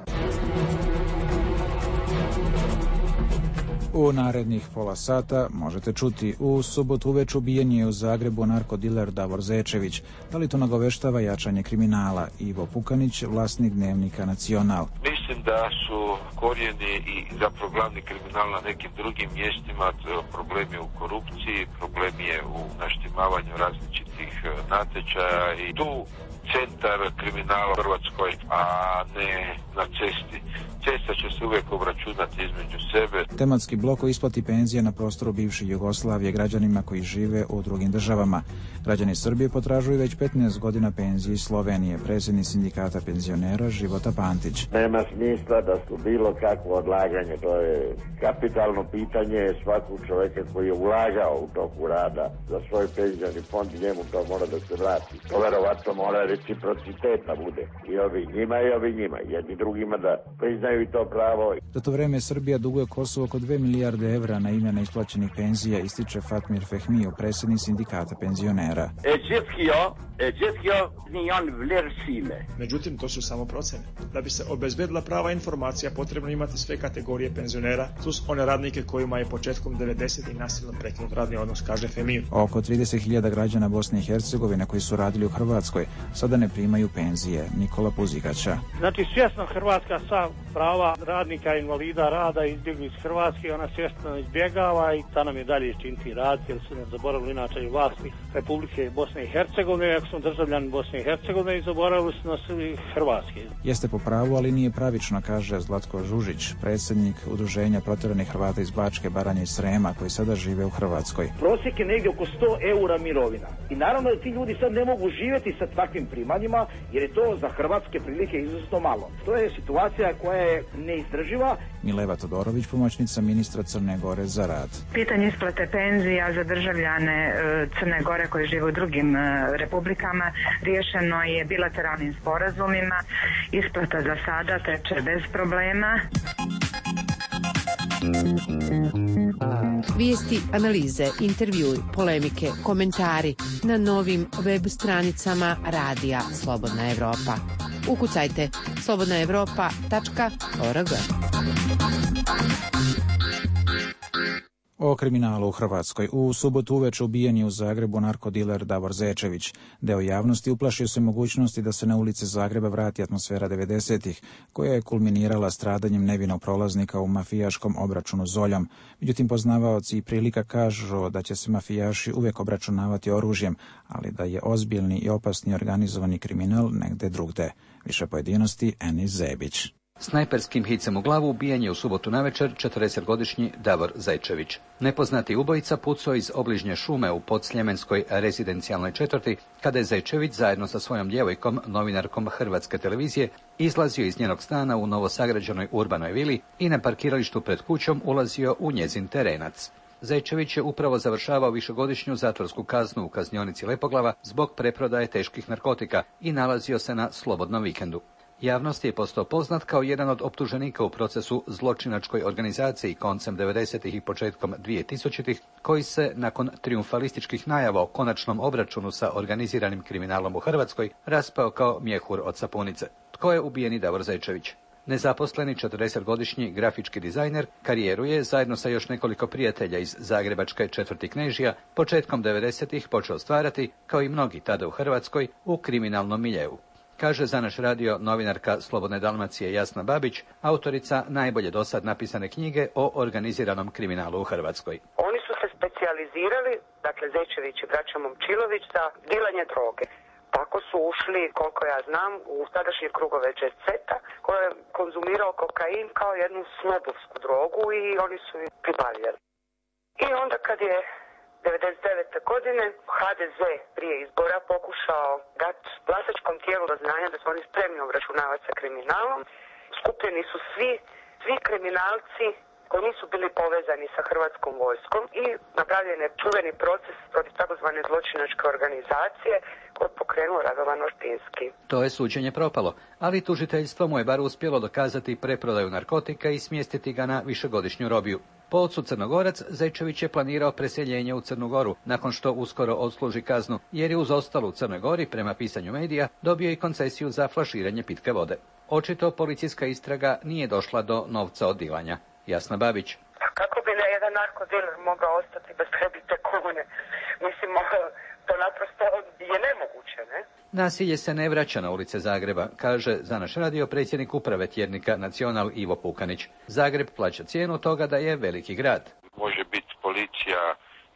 U narednih pola sata možete čuti: u subotu uveč ubijen je u Zagrebu narkodiler Davor Zečević. Da li to nagoveštava jačanje kriminala? Ivo Pukanić, vlasnik dnevnika Nacional. Mislim da su korijeni i zapravo glavni kriminal na nekim drugim mjestima. Problem je u korupciji, problem je u naštimavanju različitih natječaja i tu centar kriminala u Hrvatskoj, a ne na cesti. Cesta će se uvijek obračunati između sebe. Tematski blok o isplati penzija na prostoru bivše Jugoslavije građanima koji žive u drugim državama. Građani Srbije potražuju već petnaest godina penzije iz Slovenije. Predsjednik sindikata penzionera Života Pantić. Nema smisla da su bilo kakvo odlaganje. To je kapitalno pitanje svakog čovjeka koji je ulagao u toku rada za svoj penzioni fond i njemu to mora da se vrati. To verovatno mora reciprociteta bude. I ovi njima i ovi njima. Jedni drugima da priznaju i to pravo. Za to vreme Srbija duguje Kosovo oko dve milijarde evra na ime neisplaćenih penzija, ističe Fatmir Fehmio, predsjednik sindikata penzionera. Međutim, to su samo procene. Da bi se obezbedila prava informacija, potrebno imati sve kategorije penzionera, plus one radnike kojima je početkom devedesetih nasilno prekinut radni odnos, kaže Fehmio. Oko trideset hiljada građana Bosne i Hercegovine koji su radili u Hrvatskoj sada ne primaju penzije. Nikola Puzikaća. Znači, svjesno Hrvatska sa prava radnika, invalida rada izbjegli iz Hrvatske, ona svjesno izbjegava i ta nam je dalje činiti rad, jer su ne zaboravili inače i vlasti Republike Bosne i Hercegovine, ako smo državljani Bosne i Hercegovine i zaboravili su nas i Hrvatske. Jeste po pravu, ali nije pravično, kaže Zlatko Žužić, predsjednik udruženja protjeranih Hrvata iz Bačke, Baranje i Srema, koji sada žive u Hrvatskoj. Prosjek je negdje oko sto eura mirovina. I naravno da ti ljudi sad ne mogu živjeti sa takvim primanjima, jer je to za hrvatske prilike izuzetno malo. To je situacija koja je neizdrživa. Mileva Todorović, pomoćnica ministra Crne Gore za rad. Pitanje isplate penzija za državljane Crne Gore koji žive u drugim republikama riješeno je bilateralnim sporazumima. Isplata za sada teče bez problema. Vijesti, analize, intervjui, polemike, komentari na novim web stranicama Radija Slobodna Evropa. Ukucajte slobodna evropa tačka org. O kriminalu u Hrvatskoj. U subotu uveče ubijen je u Zagrebu narkodiler Davor Zečević. Deo javnosti uplašio se mogućnosti da se na ulice Zagreba vrati atmosfera devedesetih, koja je kulminirala stradanjem nevinog prolaznika u mafijaškom obračunu Zoljom. Međutim, poznavaoci i prilika kažu da će se mafijaši uvijek obračunavati oružjem, ali da je ozbiljni i opasni organizovani kriminal negde drugde. Više pojedinosti Enis Zebić. Snajperskim hicem u glavu ubijen je u subotu navečer četrdesetogodišnji Davor Zečević. Nepoznati ubojica pucao iz obližnje šume u podsljemenskoj rezidencijalnoj četvrti, kada je Zečević zajedno sa svojom djevojkom, novinarkom Hrvatske televizije, izlazio iz njenog stana u novosagrađenoj urbanoj vili i na parkiralištu pred kućom ulazio u njezin terenac. Zečević je upravo završavao višegodišnju zatvorsku kaznu u kaznionici Lepoglava zbog preprodaje teških narkotika i nalazio se na slobodnom vikendu. Javnost je postao poznat kao jedan od optuženika u procesu zločinačkoj organizaciji koncem devedesetih i početkom dvije-tisućitih, koji se nakon trijumfalističkih najava o konačnom obračunu sa organiziranim kriminalom u Hrvatskoj raspao kao mjehur od sapunice. Tko je ubijeni Davor Zečević? Nezaposleni četrdesetogodišnji grafički dizajner karijeru je zajedno sa još nekoliko prijatelja iz zagrebačke četvrti Knežija početkom devedesetih počeo stvarati, kao i mnogi tada u Hrvatskoj, u kriminalnom miljeu. Kaže za naš radio novinarka Slobodne Dalmacije Jasna Babić, autorica najbolje dosad napisane knjige o organiziranom kriminalu u Hrvatskoj. Oni su se specijalizirali, dakle Zečević i braća Momčilović, za dilanje droge. Tako su ušli, koliko ja znam, u tadašnje krugove Jet Seta, koji je konzumirao kokain kao jednu snobovsku drogu i oni su ih pribavljali. I onda kad je devedeset devete godine ha de ze prije izbora pokušao dati glasačkom tijelu do znanja da su oni spremni obračunavati sa kriminalom. Skupljeni su svi, svi kriminalci koji nisu bili povezani sa hrvatskom vojskom i napravljen je čuveni proces protiv takozvane zločinačke organizacije koji je pokrenuo Radovan Ortinski. To je suđenje propalo, ali tužiteljstvo mu je bar uspjelo dokazati preprodaju narkotika i smjestiti ga na višegodišnju robiju. Po ocu Crnogorac, Zečević je planirao preseljenje u Crnu Goru, nakon što uskoro odsluži kaznu, jer je uz ostalo u Crnoj Gori, prema pisanju medija, dobio i koncesiju za flaširanje pitke vode. Očito policijska istraga nije došla do novca od dilanja. Jasna Babić. Kako bi jedan narkodiler mogao ostati bez prebite kune? Mislim, to naprosto je nemoguće, ne? Nasilje se ne vraća na ulice Zagreba, kaže za naš radio predsjednik uprave tjednika Nacional Ivo Pukanić. Zagreb plaća cijenu toga da je veliki grad. Može biti policija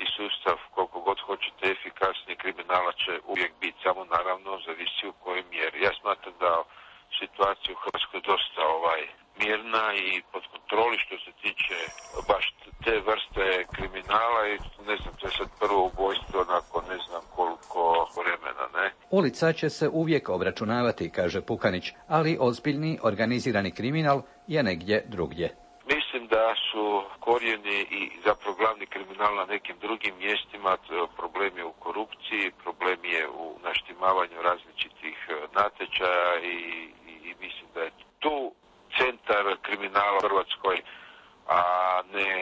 i sustav koliko god hoćete efikasni, kriminala će uvijek biti, samo naravno zavisi u kojoj mjeri. Ja smatram da situacija u Hrvatskoj dosta ovaj mirna i pod kontroli što se tiče baš te vrste kriminala i ne znam, to je sad prvo ubojstvo nakon ne znam koliko vremena, ne? Ulica će se uvijek obračunavati, kaže Pukanić, ali ozbiljni organizirani kriminal je negdje drugdje. Mislim da su korijeni i zapravo glavni kriminal na nekim drugim mjestima, problem je u korupciji, problem je u naštimavanju različitih natječaja i, i, i mislim da je tu centar kriminala u Hrvatskoj, a ne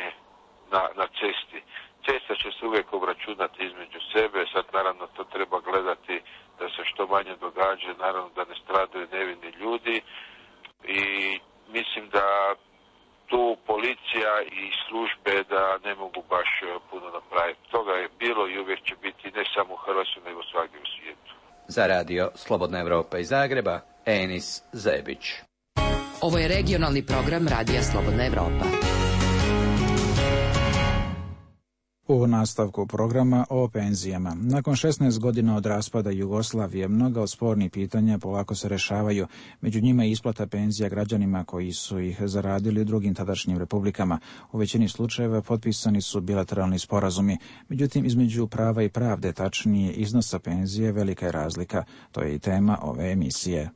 na, na cesti. Cesta će se uvijek obračunati između sebe, sad naravno to treba gledati da se što manje događa, naravno da ne stradaju nevini ljudi i mislim da tu policija i službe da ne mogu baš puno napraviti. Toga je bilo i uvijek će biti ne samo u Hrvatskoj nego svagdje u svijetu. Za radio Slobodna Evropa iz Zagreba, Enis Zebić. Ovo je regionalni program Radija Slobodna Evropa. U nastavku programa o penzijama. Nakon šesnaest godina od raspada Jugoslavije, mnoga od spornih pitanja polako se rešavaju. Među njima je isplata penzija građanima koji su ih zaradili u drugim tadašnjim republikama. U većini slučajeva potpisani su bilateralni sporazumi. Međutim, između prava i pravde, tačnije iznosa penzije, velika je razlika. To je i tema ove emisije.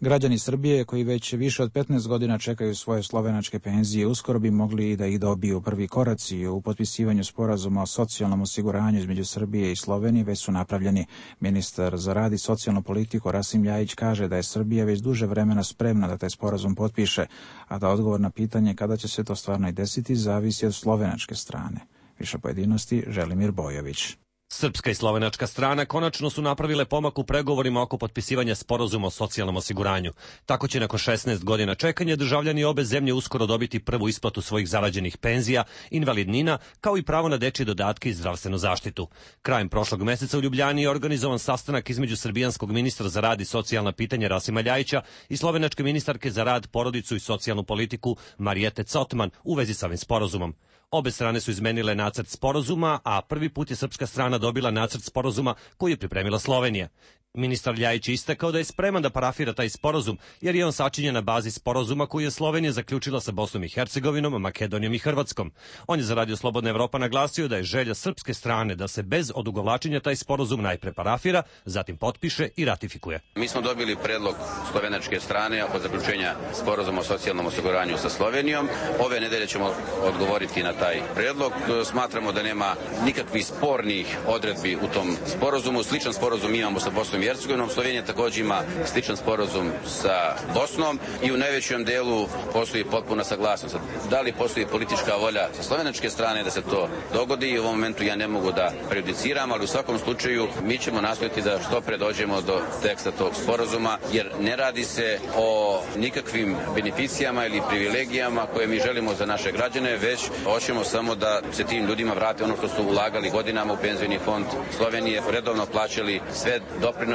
Građani Srbije koji već više od petnaest godina čekaju svoje slovenačke penzije uskoro bi mogli i da ih dobiju. Prvi koraci u potpisivanju sporazuma o socijalnom osiguranju između Srbije i Slovenije već su napravljeni. Ministar za rad i socijalnu politiku Rasim Ljajić kaže da je Srbija već duže vremena spremna da taj sporazum potpiše, a da odgovor na pitanje kada će se to stvarno i desiti zavisi od slovenačke strane. Više pojedinosti Želimir Bojović. Srpska i slovenačka strana konačno su napravile pomak u pregovorima oko potpisivanja sporazuma o socijalnom osiguranju. Tako će nakon šesnaest godina čekanja državljani obe zemlje uskoro dobiti prvu isplatu svojih zarađenih penzija, invalidnina, kao i pravo na dečje dodatke i zdravstvenu zaštitu. Krajem prošlog meseca u Ljubljani je organizovan sastanak između srbijanskog ministra za rad i socijalna pitanja Rasima Ljajića i slovenačke ministarke za rad, porodicu i socijalnu politiku Marijete Cotman u vezi sa ovim sporazumom. Obe strane su izmenile nacrt sporazuma, a prvi put je srpska strana dobila nacrt sporazuma koji je pripremila Slovenija. Ministar Ljajić je istakao da je spreman da parafira taj sporazum, jer je on sačinjen na bazi sporazuma koji je Slovenija zaključila sa Bosnom i Hercegovinom, Makedonijom i Hrvatskom. On je za Radio Slobodna Evropa naglasio da je želja srpske strane da se bez odugovlačenja taj sporazum najpre parafira, zatim potpiše i ratifikuje. Mi smo dobili predlog slovenačke strane oko zaključenja sporazuma o socijalnom osiguranju sa Slovenijom. Ove nedelje ćemo odgovoriti na taj predlog. Smatramo da nema nikakvih spornih odredbi u tom sporazumu. Sličan sporazum imamo sa Bosnom i Hercegovinom. Slovenija također ima sličan sporazum sa Bosnom i u najvećem delu postoji potpuna saglasnost. Da li postoji politička volja sa slovenačke strane da se to dogodi i u ovom momentu ja ne mogu da prejudiciram, ali u svakom slučaju mi ćemo nastojati da što pre dođemo do teksta tog sporazuma, jer ne radi se o nikakvim beneficijama ili privilegijama koje mi želimo za naše građane, već hoćemo samo da se tim ljudima vrate ono što su ulagali godinama u penzioni fond Slovenije, redovno plaćali sve doprinose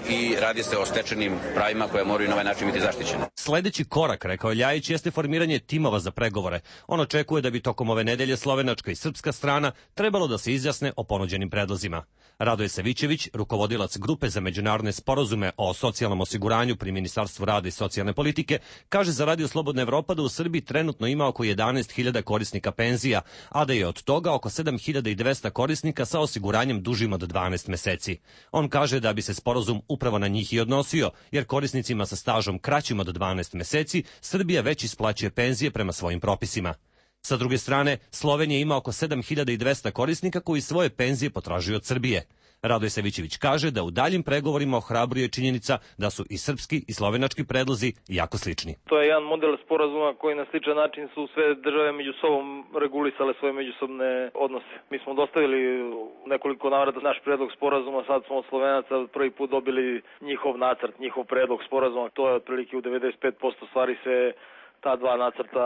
i radi se o stečenim pravima koje moraju na ovaj način biti zaštićene. Sledeći korak, rekao Ljajić, jeste formiranje timova za pregovore. On očekuje da bi tokom ove nedelje slovenačka i srpska strana trebalo da se izjasne o ponuđenim predlozima. Radoje Savićević, rukovodilac grupe za međunarodne sporazume o socijalnom osiguranju pri Ministarstvu rada i socijalne politike, kaže za Radio Slobodna Evropa da u Srbiji trenutno ima oko jedanaest hiljada korisnika penzija, a da je od toga oko sedam hiljada dvesta korisnika sa osiguranjem dužim od dvanaest meseci. On kaže da bi se sporazum upravo na njih i odnosio, jer korisnicima sa stažom kraćim od dvanaest meseci Srbija već isplaćuje penzije prema svojim propisima. Sa druge strane, Slovenija ima oko sedam hiljada dvesta korisnika koji svoje penzije potražuju od Srbije. Radoje Savićević kaže da u daljim pregovorima ohrabruje činjenica da su i srpski i slovenački predlozi jako slični. To je jedan model sporazuma koji na sličan način su sve države među sobom regulisale svoje međusobne odnose. Mi smo dostavili nekoliko navrata naš predlog sporazuma, sad smo od Slovenaca prvi put dobili njihov nacrt, njihov predlog sporazuma. To je otprilike u devedeset pet posto stvari se ta dva nacrta,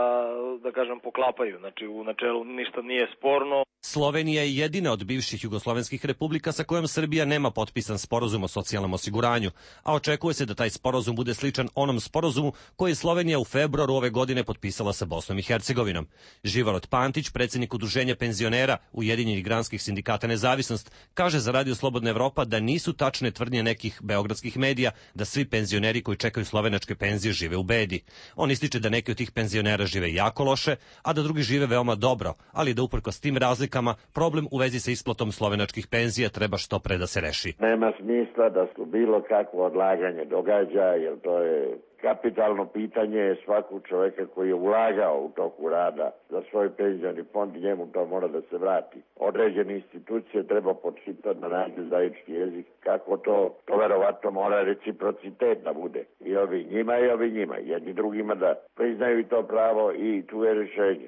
da kažem, poklapaju. Znači, u načelu ništa nije sporno. Slovenija je jedina od bivših jugoslovenskih republika sa kojom Srbija nema potpisan sporazum o socijalnom osiguranju, a očekuje se da taj sporazum bude sličan onom sporazumu koji je Slovenija u februaru ove godine potpisala sa Bosnom i Hercegovinom. Živarot Pantić, predsjednik Udruženja penzionera Ujedinjenih granskih sindikata Nezavisnost, kaže za Radio Slobodna Evropa da nisu tačne tvrdnje nekih beogradskih medija da svi penzioneri koji čekaju slovenačke penzije žive u bedi. On ističe da neki od tih penzionera žive jako loše, a da drugi žive veoma dobro, ali da uprkos tim razlikama problem u vezi sa isplatom slovenačkih penzija treba što pre da se reši. Nema smisla da se bilo kakvo odlaganje događa, jer to je kapitalno pitanje svakog čovjeka koji je ulagao u toku rada za svoj penzioni fond i njemu to mora da se vrati. Određene institucije treba podšitati na nađu zajednički jezik. Kako to? To verovatno mora reciprocitet da bude. I ovi njima i ovi njima. Jedni drugima da priznaju i to pravo i tu je rješenje.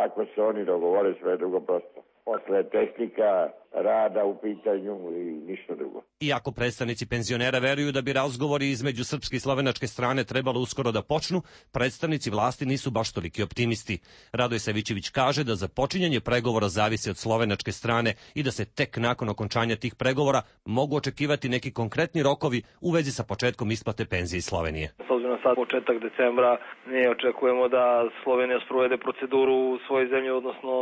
Ako se oni dogovore, sve je drugo prosto. Posle tehnika rada u pitanju i ništa drugo. Iako predstavnici penzionera veruju da bi razgovori između srpske i slovenačke strane trebalo uskoro da počnu, predstavnici vlasti nisu baš toliki optimisti. Radoje Savićević kaže da započinjanje pregovora zavisi od slovenačke strane i da se tek nakon okončanja tih pregovora mogu očekivati neki konkretni rokovi u vezi sa početkom isplate penzije iz Slovenije. S obzirom na sad početak decembra, mi očekujemo da Slovenija sprovede proceduru u svojoj zemlji, odnosno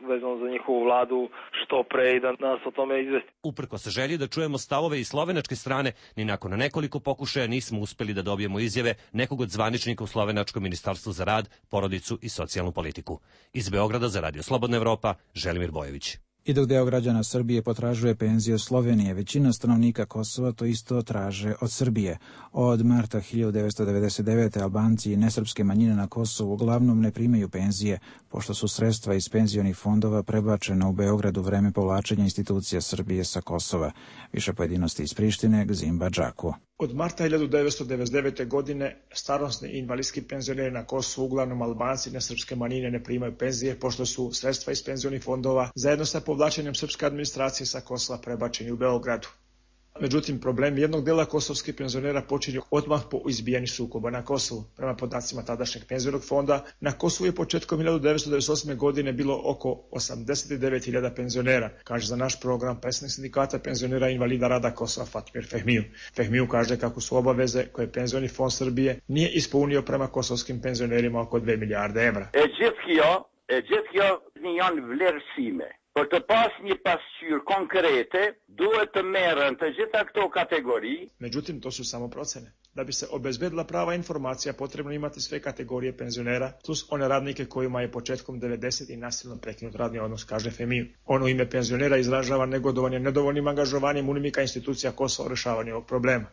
vezano za njihovu vladu što pre i da nas o tome izvesti. Uprko se želji da čujemo stavove i slovenačke strane, ni nakon nekoliko pokušaja nismo uspeli da dobijemo izjave nekog od zvaničnika u Slovenačkom ministarstvu za rad, porodicu i socijalnu politiku. Iz Beograda za Radio Slobodna Evropa, Želimir Bojović. I dok deo građana Srbije potražuje penzije od Slovenije, većina stanovnika Kosova to isto traže od Srbije. Od marta hiljadu devetsto devedeset devete. Albanci i nesrpske manjine na Kosovu uglavnom ne primaju penzije, pošto su sredstva iz penzionih fondova prebačena u Beograd u vreme povlačenja institucija Srbije sa Kosova. Više pojedinosti iz Prištine, Gzimba Džaku. Od marta hiljadu devetsto devedeset devete. godine starosni i invalidski penzioneri na Kosovu, uglavnom Albanci i nesrpske manjine, ne primaju penzije, pošto su sredstva iz penzionih fondova zajedno sa povlačenjem srpske administracije sa Kosova prebačeni u Beogradu. Međutim, problem jednog dela kosovskih penzionera počinju odmah po izbijanju sukoba na Kosovu. Prema podacima tadašnjeg penzionog fonda, na Kosovu je početkom hiljadu devetsto devedeset osme. godine bilo oko osamdeset devet hiljada penzionera, kaže za naš program predsjednik sindikata penzionera i invalida rada Kosova Fatmir Fehmiju. Fehmiju kaže kako su obaveze koje penzioni fond Srbije nije ispunio prema kosovskim penzionerima oko dve milijarde evra. E gjithë kjo, e gjithë kjo janë vlerësime. Për të pas një pasqyrë konkrete, duhet të merren të gjitha këto kategori. Međutim, to su samo procene. Da bi se obezbedila prava informacija, potrebno imati sve kategorije penzionera, plus one radnike kojima je početkom devedesetih nasilno prekinut radni odnos, kaže Fehmiju. On u ime penzionera izražava negodovanje nedovoljnim angažovanjem UNMIK-a institucija Kosova u rješavanju ovog problema.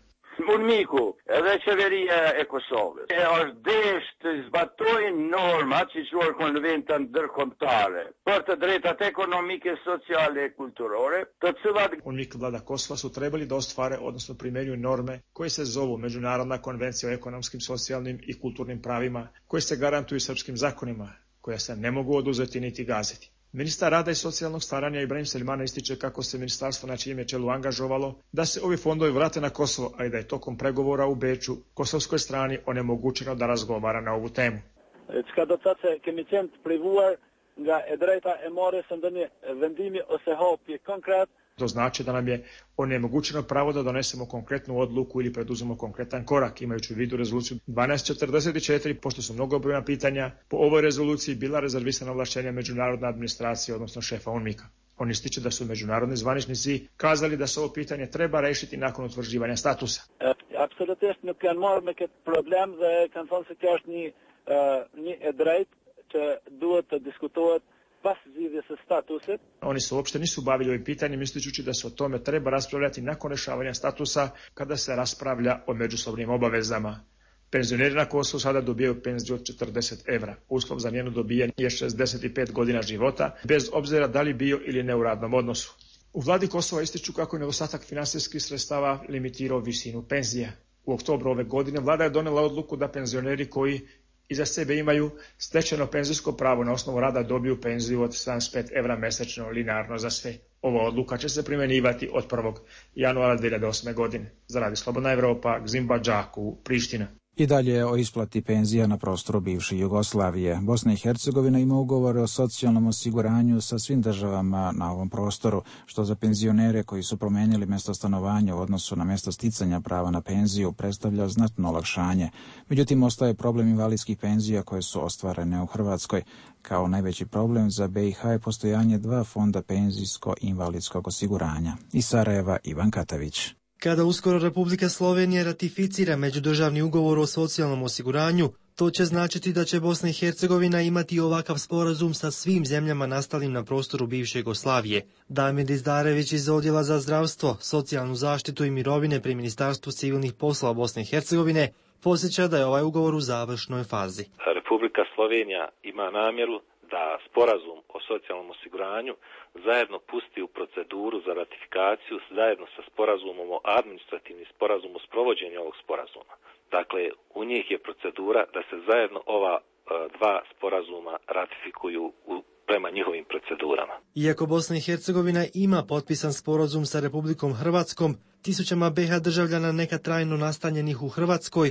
UNMIK-u edhe qeveria e Kosovës e është desh të zbatojnë normat që quhen konventën ndërkombëtare për të drejtat ekonomike, sociale e kulturore, të cilat UNMIK vlada Kosova su trebali da ostvare, odnosno primjenjuju norme koje se zovu Međunarodna konvencija o ekonomskim, socijalnim i kulturnim pravima, koje se garantuju srpskim zakonima, koja se ne mogu oduzeti niti gaziti. Ministar rada i socijalnog staranja Ibrahim Selimana ističe kako se ministarstvo na čijem je čelu angažovalo da se ovi fondovi vrate na Kosovo, ali da je tokom pregovora u Beču kosovskoj strani onemogućeno da razgovara na ovu temu. Çka do të thotë se kemi qenë të privuar nga e drejta e marrjes së ndonjë vendimi ose hapje konkret. To znači da nam je onemogućeno pravo da donesemo konkretnu odluku ili preduzmemo konkretan korak, imajući u vidu rezoluciju dvanaest četrdeset četiri, pošto su mnogobrojna pitanja po ovoj rezoluciji bila rezervisana ovlašćenja međunarodne administracije, odnosno šefa UNMIK-a. On ističe da su međunarodni zvaničnici kazali da se ovo pitanje treba rešiti nakon utvrđivanja statusa. Apsolutist nuk kanë marrë me këtë problem dhe kanë thënë se kjo është një një e drejtë që duhet të diskutohet pas zgjidhjes së statusit. Oni se uopšte nisu bavili ovim pitanjem, ističući da se o tome treba raspravljati nakon rešavanja statusa, kada se raspravlja o međusobnim obavezama. Penzioneri na Kosovu sada dobijaju penziju od četrdeset evra. Uslov za njeno dobijanje je šezdeset pet godina života, bez obzira da li bio ili ne u radnom odnosu. U vladi Kosova ističu kako je nedostatak finansijskih sredstava limitirao visinu penzija. U oktobru ove godine vlada je donela odluku da penzioneri koji iza sebe imaju stečeno penzijsko pravo na osnovu rada dobiju penziju od sedamdeset pet evra mesečno linearno za sve. Ova odluka će se primjenjivati od prvog januara dvije hiljade osme. godine. Za Radio Slobodna Evropa, Gzimba Džaku, Priština. I dalje o isplati penzija na prostoru bivše Jugoslavije. Bosna i Hercegovina ima ugovore o socijalnom osiguranju sa svim državama na ovom prostoru, što za penzionere koji su promenili mjesto stanovanja u odnosu na mjesto sticanja prava na penziju predstavlja znatno olakšanje. Međutim, ostaje problem invalidskih penzija koje su ostvarene u Hrvatskoj. Kao najveći problem za B i H je postojanje dva fonda penzijsko-invalidskog osiguranja. Iz Sarajeva, Ivan Katavić. Kada uskoro Republika Slovenija ratificira međudržavni ugovor o socijalnom osiguranju, to će značiti da će Bosna i Hercegovina imati ovakav sporazum sa svim zemljama nastalim na prostoru bivše Jugoslavije. Damir Dizdarević iz Odjela za zdravstvo, socijalnu zaštitu i mirovine pri Ministarstvu civilnih poslova Bosne i Hercegovine podsjeća da je ovaj ugovor u završnoj fazi. Republika Slovenija ima namjeru da sporazum o socijalnom osiguranju zajedno pusti u proceduru za ratifikaciju zajedno sa sporazumom o administrativni sporazum o sprovođenju ovog sporazuma. Dakle, u njih je procedura da se zajedno ova uh, dva sporazuma ratifikuju u, prema njihovim procedurama. Iako Bosna i Hercegovina ima potpisan sporazum sa Republikom Hrvatskom, tisućama B H državljana neka trajno nastanjenih u Hrvatskoj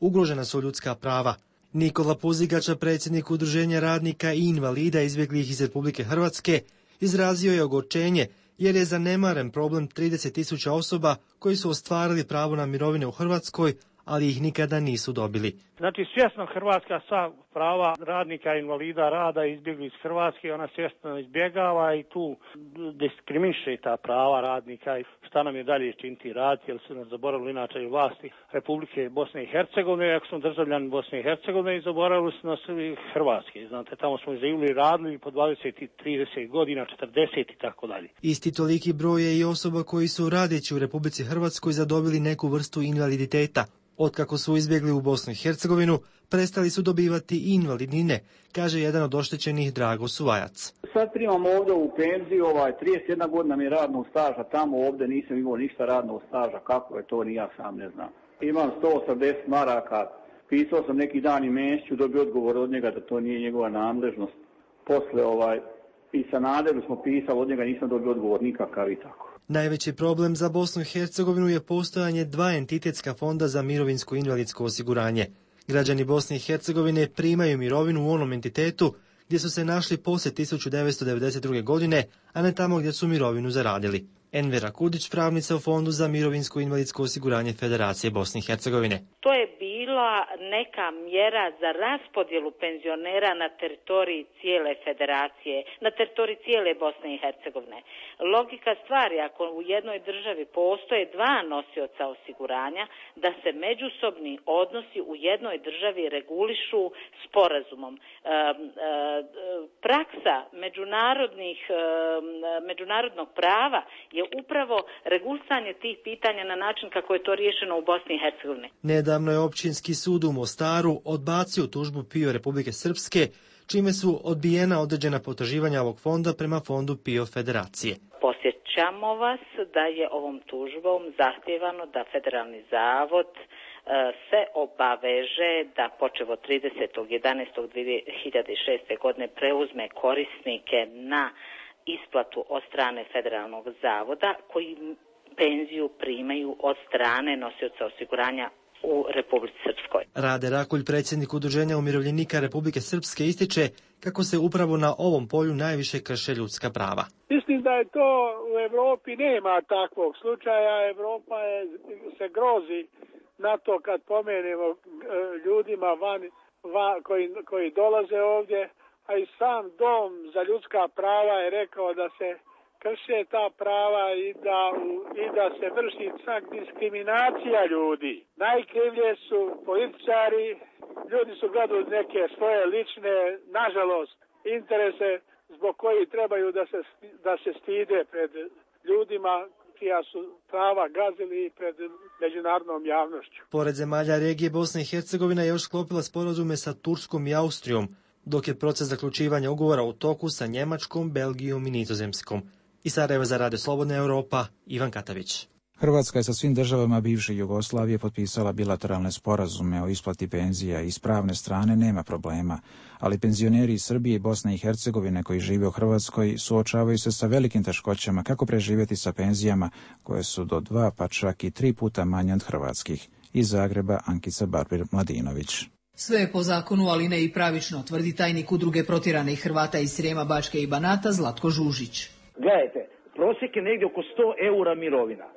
ugrožena su ljudska prava. Nikola Puzigača, predsjednik Udruženja radnika i invalida izbjeglih iz Republike Hrvatske, izrazio je ogorčenje jer je zanemaren problem trideset tisuća osoba koji su ostvarili pravo na mirovine u Hrvatskoj, ali ih nikada nisu dobili. Znači, svjesno Hrvatska sva prava radnika, invalida rada izbjegli iz Hrvatske, ona svjesno izbjegava i tu diskriminiše ta prava radnika i šta nam je dalje činiti raditi, jer su nas zaboravili inače i vlasti Republike Bosne i Hercegovine, ako smo državljani Bosne i Hercegovine i zaboravili su nas i Hrvatske. Znate, tamo smo živjeli radili po dvadeset, trideset godina, četrdeset i tako dalje. Isti toliki broj je i osoba koji su radeći u Republici Hrvatskoj zadobili neku vrstu invaliditeta. Otkako su izbjegli u Bosnu i Hercegovinu, prestali su dobivati invalidnine, kaže jedan od oštećenih Drago Suvajac. Sad primam ovdje u penziju, ovaj, trideset jedna godina mi je radnog staža, tamo ovdje nisam imao ništa radnog staža, kako je to, ni ja sam ne znam. Imam sto osamdeset maraka, pisao sam neki dan i Mesiću, dobio odgovor od njega da to nije njegova nadležnost. Posle ovaj, i sa Naderu smo pisali, od njega nisam dobio odgovor nikakav i tako. Najveći problem za Bosnu i Hercegovinu je postojanje dva entitetska fonda za mirovinsko invalidsko osiguranje. Građani Bosne i Hercegovine primaju mirovinu u onom entitetu gdje su se našli poslije tisuću devetsto devedeset druge. godine, a ne tamo gdje su mirovinu zaradili. Envera Kudić, pravnica u Fondu za mirovinsko invalidsko osiguranje Federacije Bosne i Hercegovine. To je bila neka mjera za raspodjelu penzionera na teritoriji cijele federacije, na teritoriji cijele Bosne i Hercegovine. Logika stvari, ako u jednoj državi postoje dva nosioca osiguranja, da se međusobni odnosi u jednoj državi regulišu sporazumom. E, e, praksa međunarodnih, e, međunarodnog prava je upravo regulisanje tih pitanja na način kako je to riješeno u Bosni i Hercegovini. Nedavno je Općinski sud u Mostaru odbacio tužbu PIO Republike Srpske, čime su odbijena određena potraživanja ovog fonda prema fondu PIO Federacije. Posjećamo vas da je ovom tužbom zahtjevano da Federalni zavod se obaveže da počev od tridesetog jedanaestog dvije hiljade šeste. godine preuzme korisnike na isplatu od strane Federalnog zavoda koji penziju primaju od strane nosioca osiguranja u Republici Srpskoj. Rade Rakulj, predsjednik Udruženja umirovljenika Republike Srpske, ističe kako se upravo na ovom polju najviše krše ljudska prava. Mislim da je to u Evropi nema takvog slučaja. Evropa je, se grozi na to kad pomenemo ljudima van, van koji, koji dolaze ovdje, a i sam Dom za ljudska prava je rekao da se krše ta prava i da, i da se vrši čak diskriminacija ljudi. Najkrivlje su političari, ljudi su gledali neke svoje lične, nažalost, interese zbog koji trebaju da se, da se stide pred ljudima čija su prava gazili pred međunarodnom javnošću. Pored zemalja regije, Bosna i Hercegovina je još sklopila sporazume sa Turskom i Austrijom, dok je proces zaključivanja ugovora u toku sa Njemačkom, Belgijom i Nizozemskom. Iz Sarajeva za Radio Slobodna Europa, Ivan Katavić. Hrvatska je sa svim državama bivše Jugoslavije potpisala bilateralne sporazume o isplati penzija i s pravne strane nema problema, ali penzioneri iz Srbije i Bosne i Hercegovine koji žive u Hrvatskoj suočavaju se sa velikim teškoćama kako preživjeti sa penzijama koje su do dva pa čak i tri puta manje od hrvatskih. Iz Zagreba Ankica Barbir-Mladinović. Sve je po zakonu, ali ne i pravično, tvrdi tajnik udruge protjeranih Hrvata iz Srijema, Bačke i Banata Zlatko Žužić. Gledajte, prosjek je negdje oko sto eura mirovina.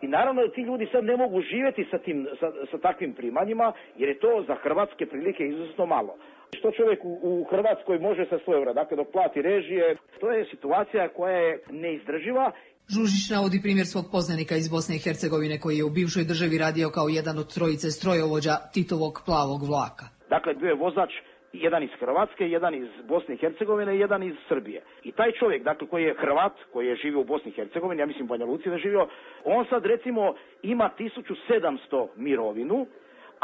I naravno da ti ljudi sad ne mogu živjeti sa, tim, sa, sa takvim primanjima, jer je to za hrvatske prilike izuzetno malo. Što čovjek u, u Hrvatskoj može sa sto eura, dakle dok plati režije, to je situacija koja je neizdrživa. Žužić navodi primjer svog poznanika iz Bosne i Hercegovine koji je u bivšoj državi radio kao jedan od trojice strojovođa Titovog plavog vlaka. Dakle, bio je vozač jedan iz Hrvatske, jedan iz Bosne i Hercegovine i jedan iz Srbije. I taj čovjek, dakle, koji je Hrvat, koji je živio u Bosni i Hercegovini, ja mislim u Banja Luci da je živio, on sad recimo ima tisuću sedamsto mirovinu,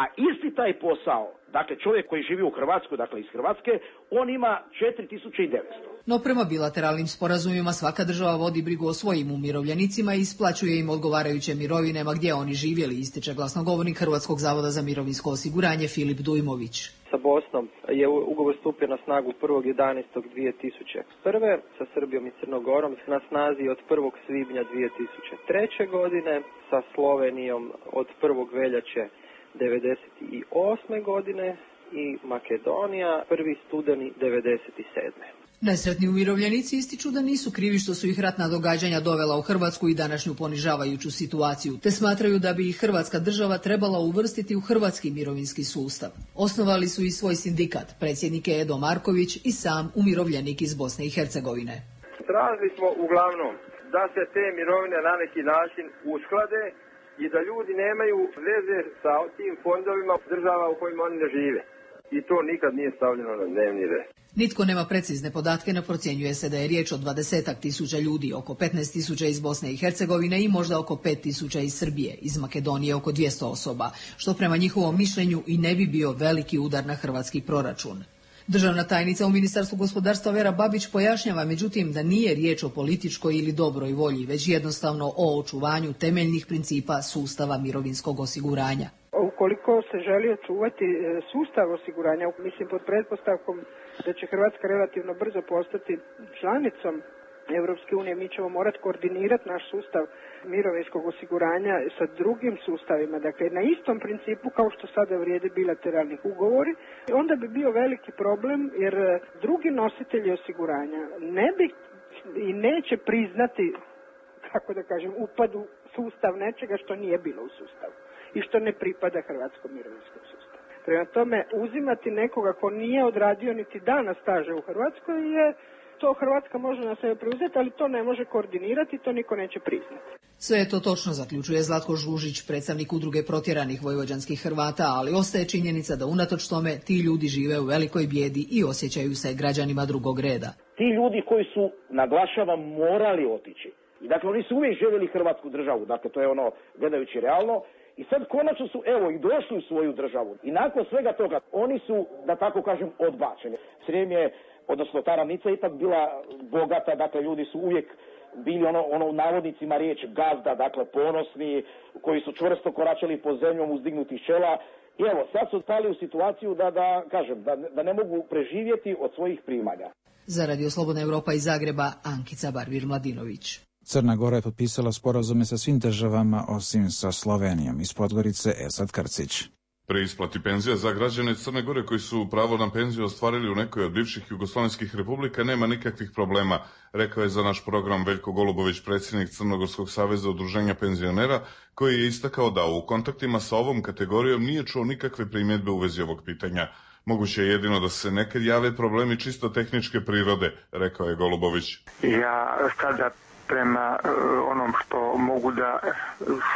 a isti taj posao, dakle čovjek koji živi u Hrvatskoj, dakle iz Hrvatske, on ima četiri tisuće devetsto. No prema bilateralnim sporazumima svaka država vodi brigu o svojim umirovljenicima i isplaćuje im odgovarajuće mirovine ma gdje oni živjeli, ističe glasnogovornik Hrvatskog zavoda za mirovinsko osiguranje Filip Dujmović. Sa Bosnom je ugovor stupio na snagu prvog jedanaestog dvije tisuće prve, sa Srbijom i Crnogorom na snazi od prvog svibnja dvije tisuće treće godine, sa Slovenijom od prvog veljače devedeset osme godine i Makedonija prvi studeni devedeset sedme. Nesretni umirovljenici ističu da nisu krivi što su ih ratna događanja dovela u Hrvatsku i današnju ponižavajuću situaciju, te smatraju da bi ih Hrvatska država trebala uvrstiti u hrvatski mirovinski sustav. Osnovali su i svoj sindikat, predsjednik je Edo Marković i sam umirovljenik iz Bosne i Hercegovine. Tražili smo uglavnom da se te mirovine na neki način usklade i da ljudi nemaju veze sa tim fondovima država u kojima oni ne žive. I to nikad nije stavljeno na dnevni red. Nitko nema precizne podatke, no procjenjuje se da je riječ o dvadesetak tisuća ljudi, oko petnaest tisuća iz Bosne i Hercegovine i možda oko pet tisuća iz Srbije, iz Makedonije oko dvjesto osoba, što prema njihovom mišljenju i ne bi bio veliki udar na hrvatski proračun. Državna tajnica u Ministarstvu gospodarstva Vera Babić pojašnjava međutim da nije riječ o političkoj ili dobroj volji, već jednostavno o očuvanju temeljnih principa sustava mirovinskog osiguranja. Ukoliko se želi očuvati sustav osiguranja, mislim pod pretpostavkom da će Hrvatska relativno brzo postati članicom Europske unije, mi ćemo morati koordinirati naš sustav mirovinskog osiguranja sa drugim sustavima, dakle na istom principu kao što sada vrijede bilateralni ugovori. Onda bi bio veliki problem jer drugi nositelji osiguranja ne bi i neće priznati, kako da kažem, upad u sustav nečega što nije bilo u sustavu i što ne pripada hrvatskom mirovinskom sustavu. Prema tome, uzimati nekoga ko nije odradio niti dana staža u Hrvatskoj je to Hrvatska može na sebe preuzeti, ali to ne može koordinirati, to niko neće priznati. Sve je to točno, zaključuje Zlatko Žužić, predstavnik udruge protjeranih vojvođanskih Hrvata, ali ostaje činjenica da unatoč tome ti ljudi žive u velikoj bijedi i osjećaju se građanima drugog reda. Ti ljudi koji su, naglašavam, morali otići. I dakle, oni su uvijek željeli Hrvatsku državu, dakle, to je ono, gledajući realno, i sad konačno su, evo, i došli u svoju državu. I nakon svega toga, oni su, da tako kažem, odbačeni. Srijem je, odnosno ta ravnica je ipak bila bogata, dakle, ljudi su uvijek bili ono, ono u navodnicima riječ gazda, dakle, ponosni, koji su čvrsto koračali po zemljom uzdignutih čela. I evo, sad su stali u situaciju da, da kažem, da, da ne mogu preživjeti od svojih primanja. Za Radio Slobodna Europa iz Zagreba, Ankica Barbir-Mladinović. Crna Gora je potpisala sporazume sa svim državama osim sa Slovenijom. Iz Podgorice Esad Krcić. Pri isplati penzija za građane Crne Gore koji su pravo na penziju ostvarili u nekoj od bivših jugoslavenskih republika nema nikakvih problema, rekao je za naš program Veljko Golubović, predsjednik Crnogorskog saveza udruženja penzionera, koji je istakao da u kontaktima sa ovom kategorijom nije čuo nikakve primjedbe u vezi ovog pitanja. Moguće je jedino da se nekad jave problemi čisto tehničke prirode, rekao je Golubović. Ja sada prema uh, onom što mogu da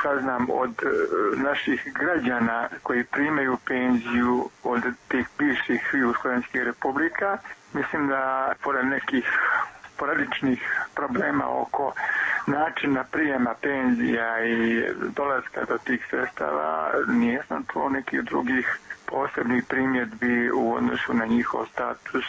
saznam od uh, naših građana koji primaju penziju od tih bivših jugoslavenskih republika, mislim da pored nekih sporadičnih problema oko načina prijema penzija i dolaska do tih sredstava nisam čuo nekih drugih posebnih primjedbi u odnosu na njihov status,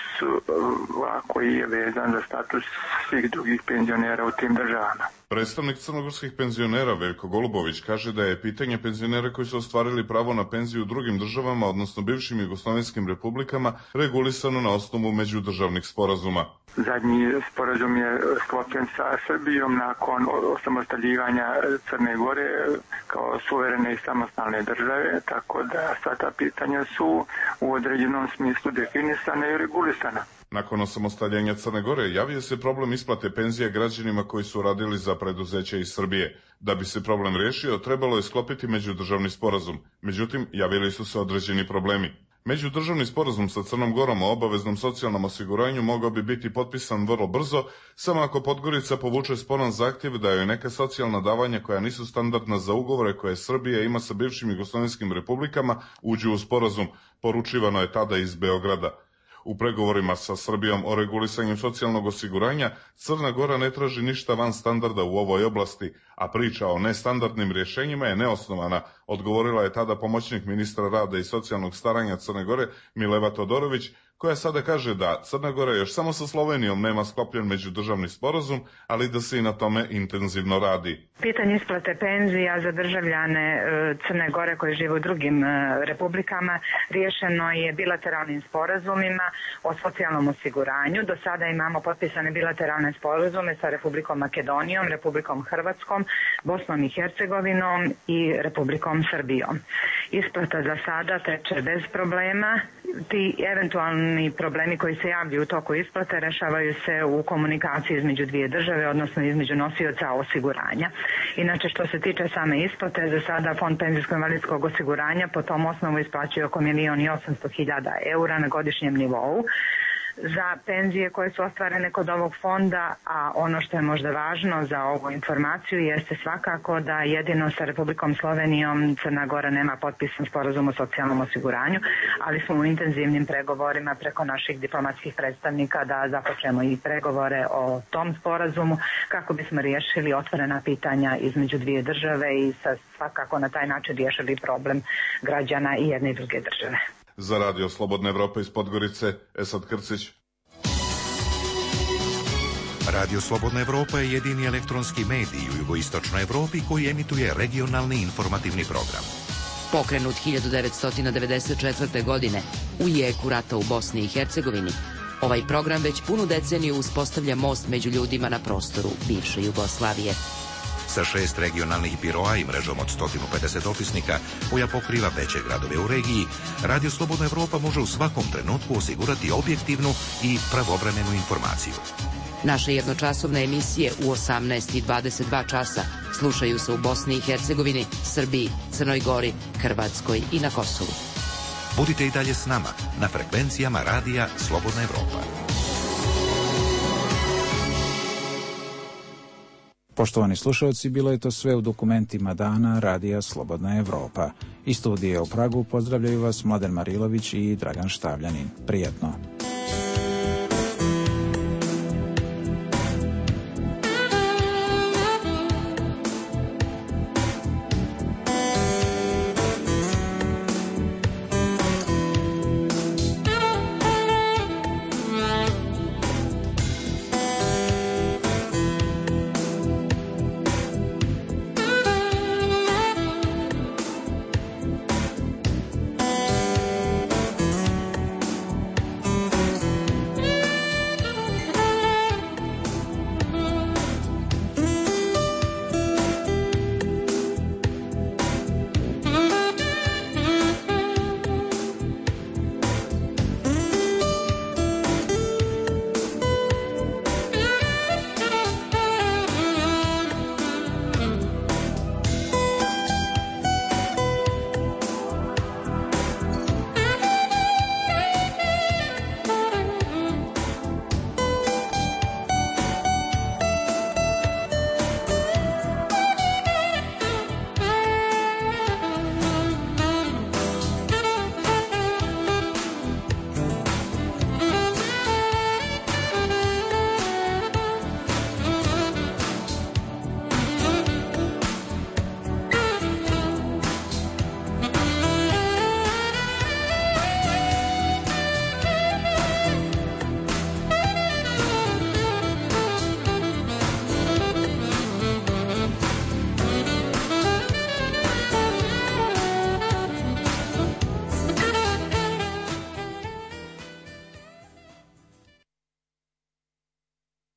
a koji je vezan za status svih drugih penzionera u tim državama. Predstavnik crnogorskih penzionera Veljko Golubović kaže da je pitanje penzionera koji su ostvarili pravo na penziju u drugim državama, odnosno bivšim jugoslovenskim republikama, regulisano na osnovu međudržavnih sporazuma. Zadnji sporazum je sklopljen sa Srbijom nakon osamostaljivanja Crne Gore kao suverene i samostalne države, tako da sva ta pitanja su u određenom smislu definisana i regulisana. Nakon osamostaljenja Crne Gore javio se problem isplate penzija građanima koji su radili za preduzeće iz Srbije. Da bi se problem riješio, trebalo je sklopiti međudržavni sporazum. Međutim, javili su se određeni problemi. Međudržavni sporazum sa Crnom Gorom o obaveznom socijalnom osiguranju mogao bi biti potpisan vrlo brzo, samo ako Podgorica povuče sporan zahtjev da joj neka socijalna davanja koja nisu standardna za ugovore koje Srbija ima sa bivšim jugoslovenskim republikama uđu u sporazum, poručivano je tada iz Beograda. U pregovorima sa Srbijom o regulisanju socijalnog osiguranja Crna Gora ne traži ništa van standarda u ovoj oblasti, a priča o nestandardnim rješenjima je neosnovana, odgovorila je tada pomoćnik ministra rada i socijalnog staranja Crne Gore Mileva Todorović, koja sada kaže da Crna Gora još samo sa Slovenijom nema sklopljen međudržavni sporazum, ali da se i na tome intenzivno radi. Pitanje isplate penzija za državljane Crne Gore koji žive u drugim republikama riješeno je bilateralnim sporazumima o socijalnom osiguranju. Do sada imamo potpisane bilateralne sporazume sa Republikom Makedonijom, Republikom Hrvatskom, Bosnom i Hercegovinom i Republikom Srbijom. Isplata za sada teče bez problema. Ti eventualni problemi koji se javljaju u toku isplate rešavaju se u komunikaciji između dvije države, odnosno između nosioca osiguranja. Inače, što se tiče same isplate, za sada Fond penzijsko-invalidskog osiguranja po tom osnovu isplaćuje oko milion i osamsto hiljada eura na godišnjem nivou za penzije koje su ostvarene kod ovog fonda, a ono što je možda važno za ovu informaciju jeste svakako da jedino sa Republikom Slovenijom Crna Gora nema potpisan sporazum o socijalnom osiguranju, ali smo u intenzivnim pregovorima preko naših diplomatskih predstavnika da započnemo i pregovore o tom sporazumu kako bismo riješili otvorena pitanja između dvije države i sa svakako na taj način riješili problem građana i jedne i druge države. Za Radio Slobodna Evropa iz Podgorice, Esad Krcić. Radio Slobodna Evropa je jedini elektronski medij u jugoistočnoj Evropi koji emituje regionalni informativni program. Pokrenut hiljadu devetsto devedeset četvrte. godine u jeku rata u Bosni i Hercegovini, ovaj program već punu deceniju uspostavlja most među ljudima na prostoru bivše Jugoslavije. Sa šest regionalnih biroa i mrežom od sto pedeset opisnika koja pokriva veće gradove u regiji, Radio Slobodna Evropa može u svakom trenutku osigurati objektivnu i pravovremenu informaciju. Naše jednočasovne emisije u osamnaest i dvadeset dva časa slušaju se u Bosni i Hercegovini, Srbiji, Crnoj Gori, Hrvatskoj i na Kosovu. Budite i dalje s nama na frekvencijama Radija Slobodna Evropa. Poštovani slušalci, bilo je to sve u dokumentima dana Radija Slobodna Evropa. Iz studije u Pragu pozdravljaju vas Mladen Marilović i Dragan Štavljanin. Prijetno.